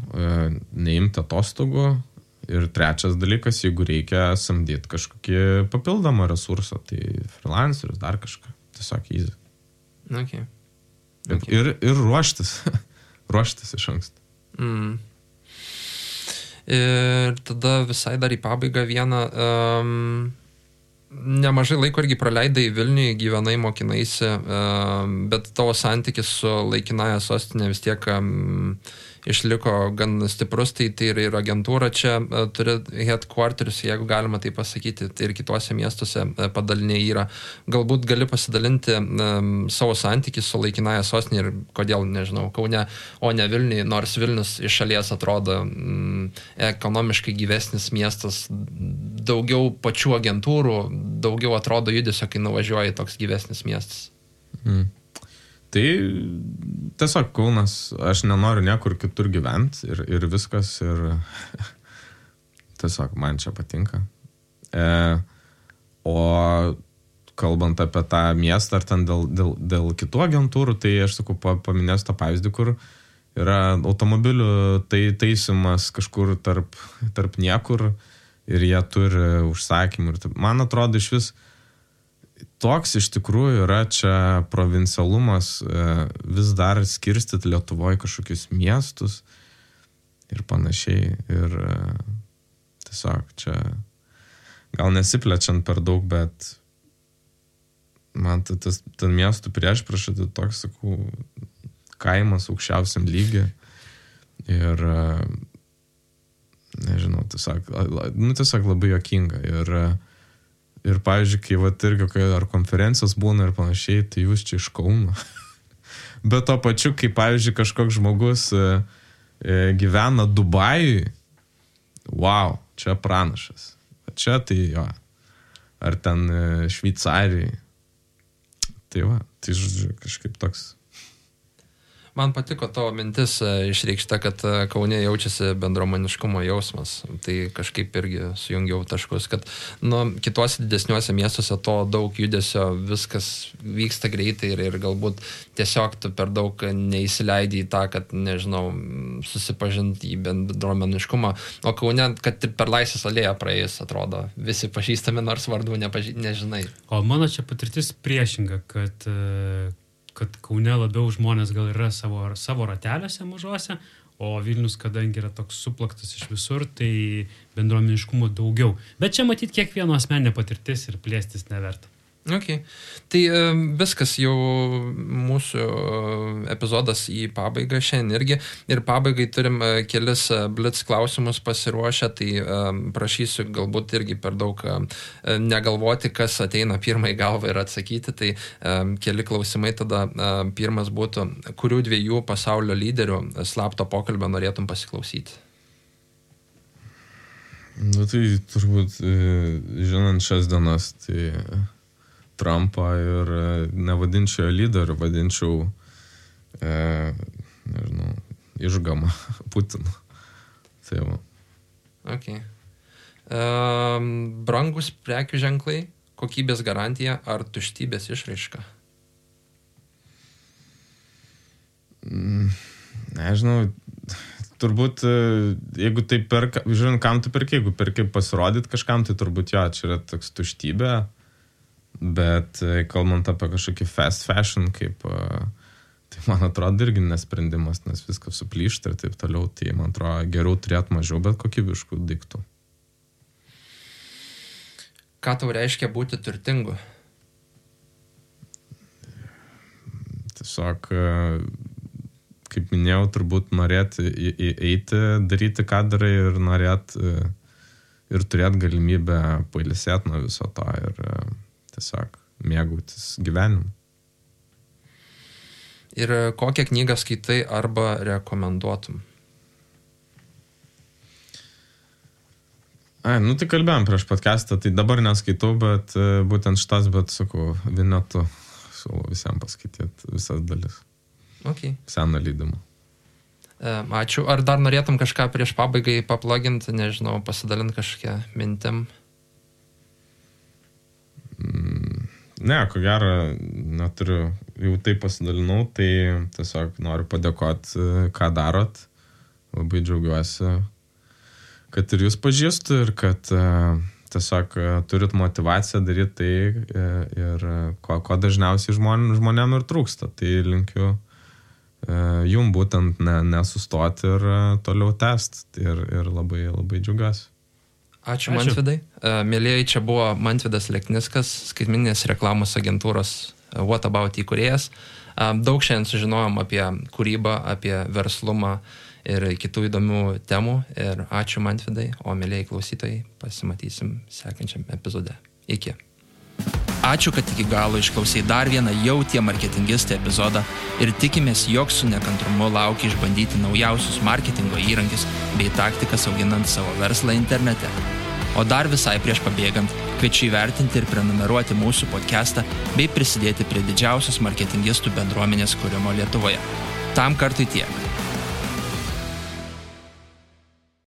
neimti atostogų. Ir trečias dalykas, jeigu reikia samdyti kažkokį papildomą resursą, tai freelancerius, dar kažką. Tiesiog easy. Okay. Ir ruoštis. Ruoštis iš anksto. Ir tada visai dar į pabaigą vieną. Nemažai laiko irgi praleidai Vilniuje, gyvenai, mokinaisi, bet tavo santykis su laikinąja sostinė vis tiek išliko gan stiprus, tai ir agentūra čia turi headquarterius, jeigu galima tai pasakyti, tai ir kituose miestuose padaliniai yra. Galbūt gali pasidalinti savo santykį su laikinąja sostinė ir kodėl, nežinau, Kaune, o ne Vilniuje, nors Vilnius iš šalies atrodo ekonomiškai gyvesnis miestas, daugiau pačių agentūrų, daugiau atrodo judesio, kai nuvažiuoji toks gyvesnis miestas. Tai tiesiog Kaunas, aš nenoriu niekur kitur gyventi ir viskas, ir tiesiog man čia patinka. O kalbant apie tą miestą ar ten dėl kitų agentūrų, tai aš sakau, paminėsiu tą pavyzdį, kur yra automobilių taisymas kažkur tarp niekur ir jie turi užsakymų. Man atrodo, iš vis toks iš tikrųjų yra čia provincialumas vis dar skirstyti Lietuvoje kažkokius miestus ir panašiai. Ir tiesiog čia gal nesiplečiant per daug, bet man ten miestų priešpriešai tai toks, sakau, kaimas aukščiausiam lygiai. Ir nežinau, tiesiog labai juokinga. Ir pavyzdžiui, kai irgi ar konferencijos būna ir panašiai, tai jūs čia iš Kauno. Bet to pačiu, kai pavyzdžiui kažkoks žmogus gyvena Dubajui, wow, čia pranašas. Čia tai jo. Ar ten Šveicarijai. Tai va, tai žodžiu, kažkaip toks. Man patiko tavo mintis išreikšta, kad Kaune jaučiasi bendruomeniškumo jausmas. Tai kažkaip irgi sujungiau taškus, kad kituose didesniuose miestuose to daug judesio, viskas vyksta greitai ir galbūt tiesiog tu per daug neįsileidai į tą, kad, nežinau, susipažinti į bendruomeniškumą. O Kaune, kad per Laisvės alėją praėjus, atrodo, visi pažįstami, nors vardų nežinai. O mano čia patirtis priešinga, kad Kaune labiau žmonės gal yra savo rateliuose mažuose, o Vilnius, kadangi yra toks suplaktas iš visur, tai bendruomeniškumo daugiau. Bet čia matyti kiekvieno asmeninė patirtis ir plėstis neverta. Okay. Tai viskas jau mūsų epizodas į pabaigą šiandien irgi. Ir pabaigai turim kelis blitz klausimus pasiruošę, tai prašysiu galbūt irgi per daug negalvoti, kas ateina pirmai galvą ir atsakyti. Tai keli klausimai tada. Pirmas būtų, kurių dviejų pasaulio lyderių slapto pokalbio norėtum pasiklausyti? Tai turbūt, žinant šias dienas, tai Trumpą ir nevadinčiau lyderiu, vadinčiau, nežinau, išgamą Putinu. Tai va. Okay. Brangus prekių ženklai, kokybės garantija ar tuštybės išraiška? Nežinau, turbūt, jeigu tai perka, žiūrint, kam tu perki, jeigu perki pasirodyti kažkam, tai turbūt jo, čia yra toks tuštybė. Bet kalbant apie kažkokį fast fashion, kaip, tai man atrodo irgi nesprendimas, nes viskas suplyšta ir taip toliau, tai man atrodo geriau turėti mažiau, bet kokybiškų daiktų. Ką tau reiškia būti turtingu? Tiesiog, kaip minėjau, turbūt norėti eiti, daryti, ką darai ir norėti ir turėti galimybę pailsėti nuo viso to ir tiesiog mėgautis gyvenimu. Ir kokią knygą skaitai arba rekomenduotum? Tai kalbėjom prieš podcastą, tai dabar neskaitau, bet būtent šitas, bet sakau, Vinetu siūlau visiems paskaityti visas dalis. Okay. Seną leidimą. Ačiū. Ar dar norėtum kažką prieš pabaigai papluginti, nežinau, pasidalinti kažkokią mintim? Ne, ko gero, neturiu, jau taip pasidalinau, tai tiesiog noriu padėkoti, ką darot. Labai džiaugiuosi, kad ir jūs pažįstu ir kad tiesiog turit motivaciją daryti tai ir ko dažniausiai žmonėm ir trūksta. Tai linkiu jum būtent nesustoti ir toliau tęsti ir labai, labai džiaugiuosi. Ačiū. Mantvidai. Mėlėjai, čia buvo Mantvidas Lekniskas, skaitmeninės reklamos agentūros What About įkūrėjas. Daug šiandien sužinojom apie kūrybą, apie verslumą ir kitų įdomių temų. Ir ačiū, Mantvidai, o mėlėjai klausytojai, pasimatysim sekančiam epizode. Iki. Ačiū, kad iki galo išklausai dar vieną jau tie marketingistai epizodą ir tikimės, jog su nekantrumu lauki išbandyti naujausius marketingo įrankius bei taktikas auginant savo verslą internete. O dar visai prieš pabėgant, kviečiu įvertinti ir prenumeruoti mūsų podcastą bei prisidėti prie didžiausios marketingistų bendruomenės kūrimo Lietuvoje. Tam kartui tiek.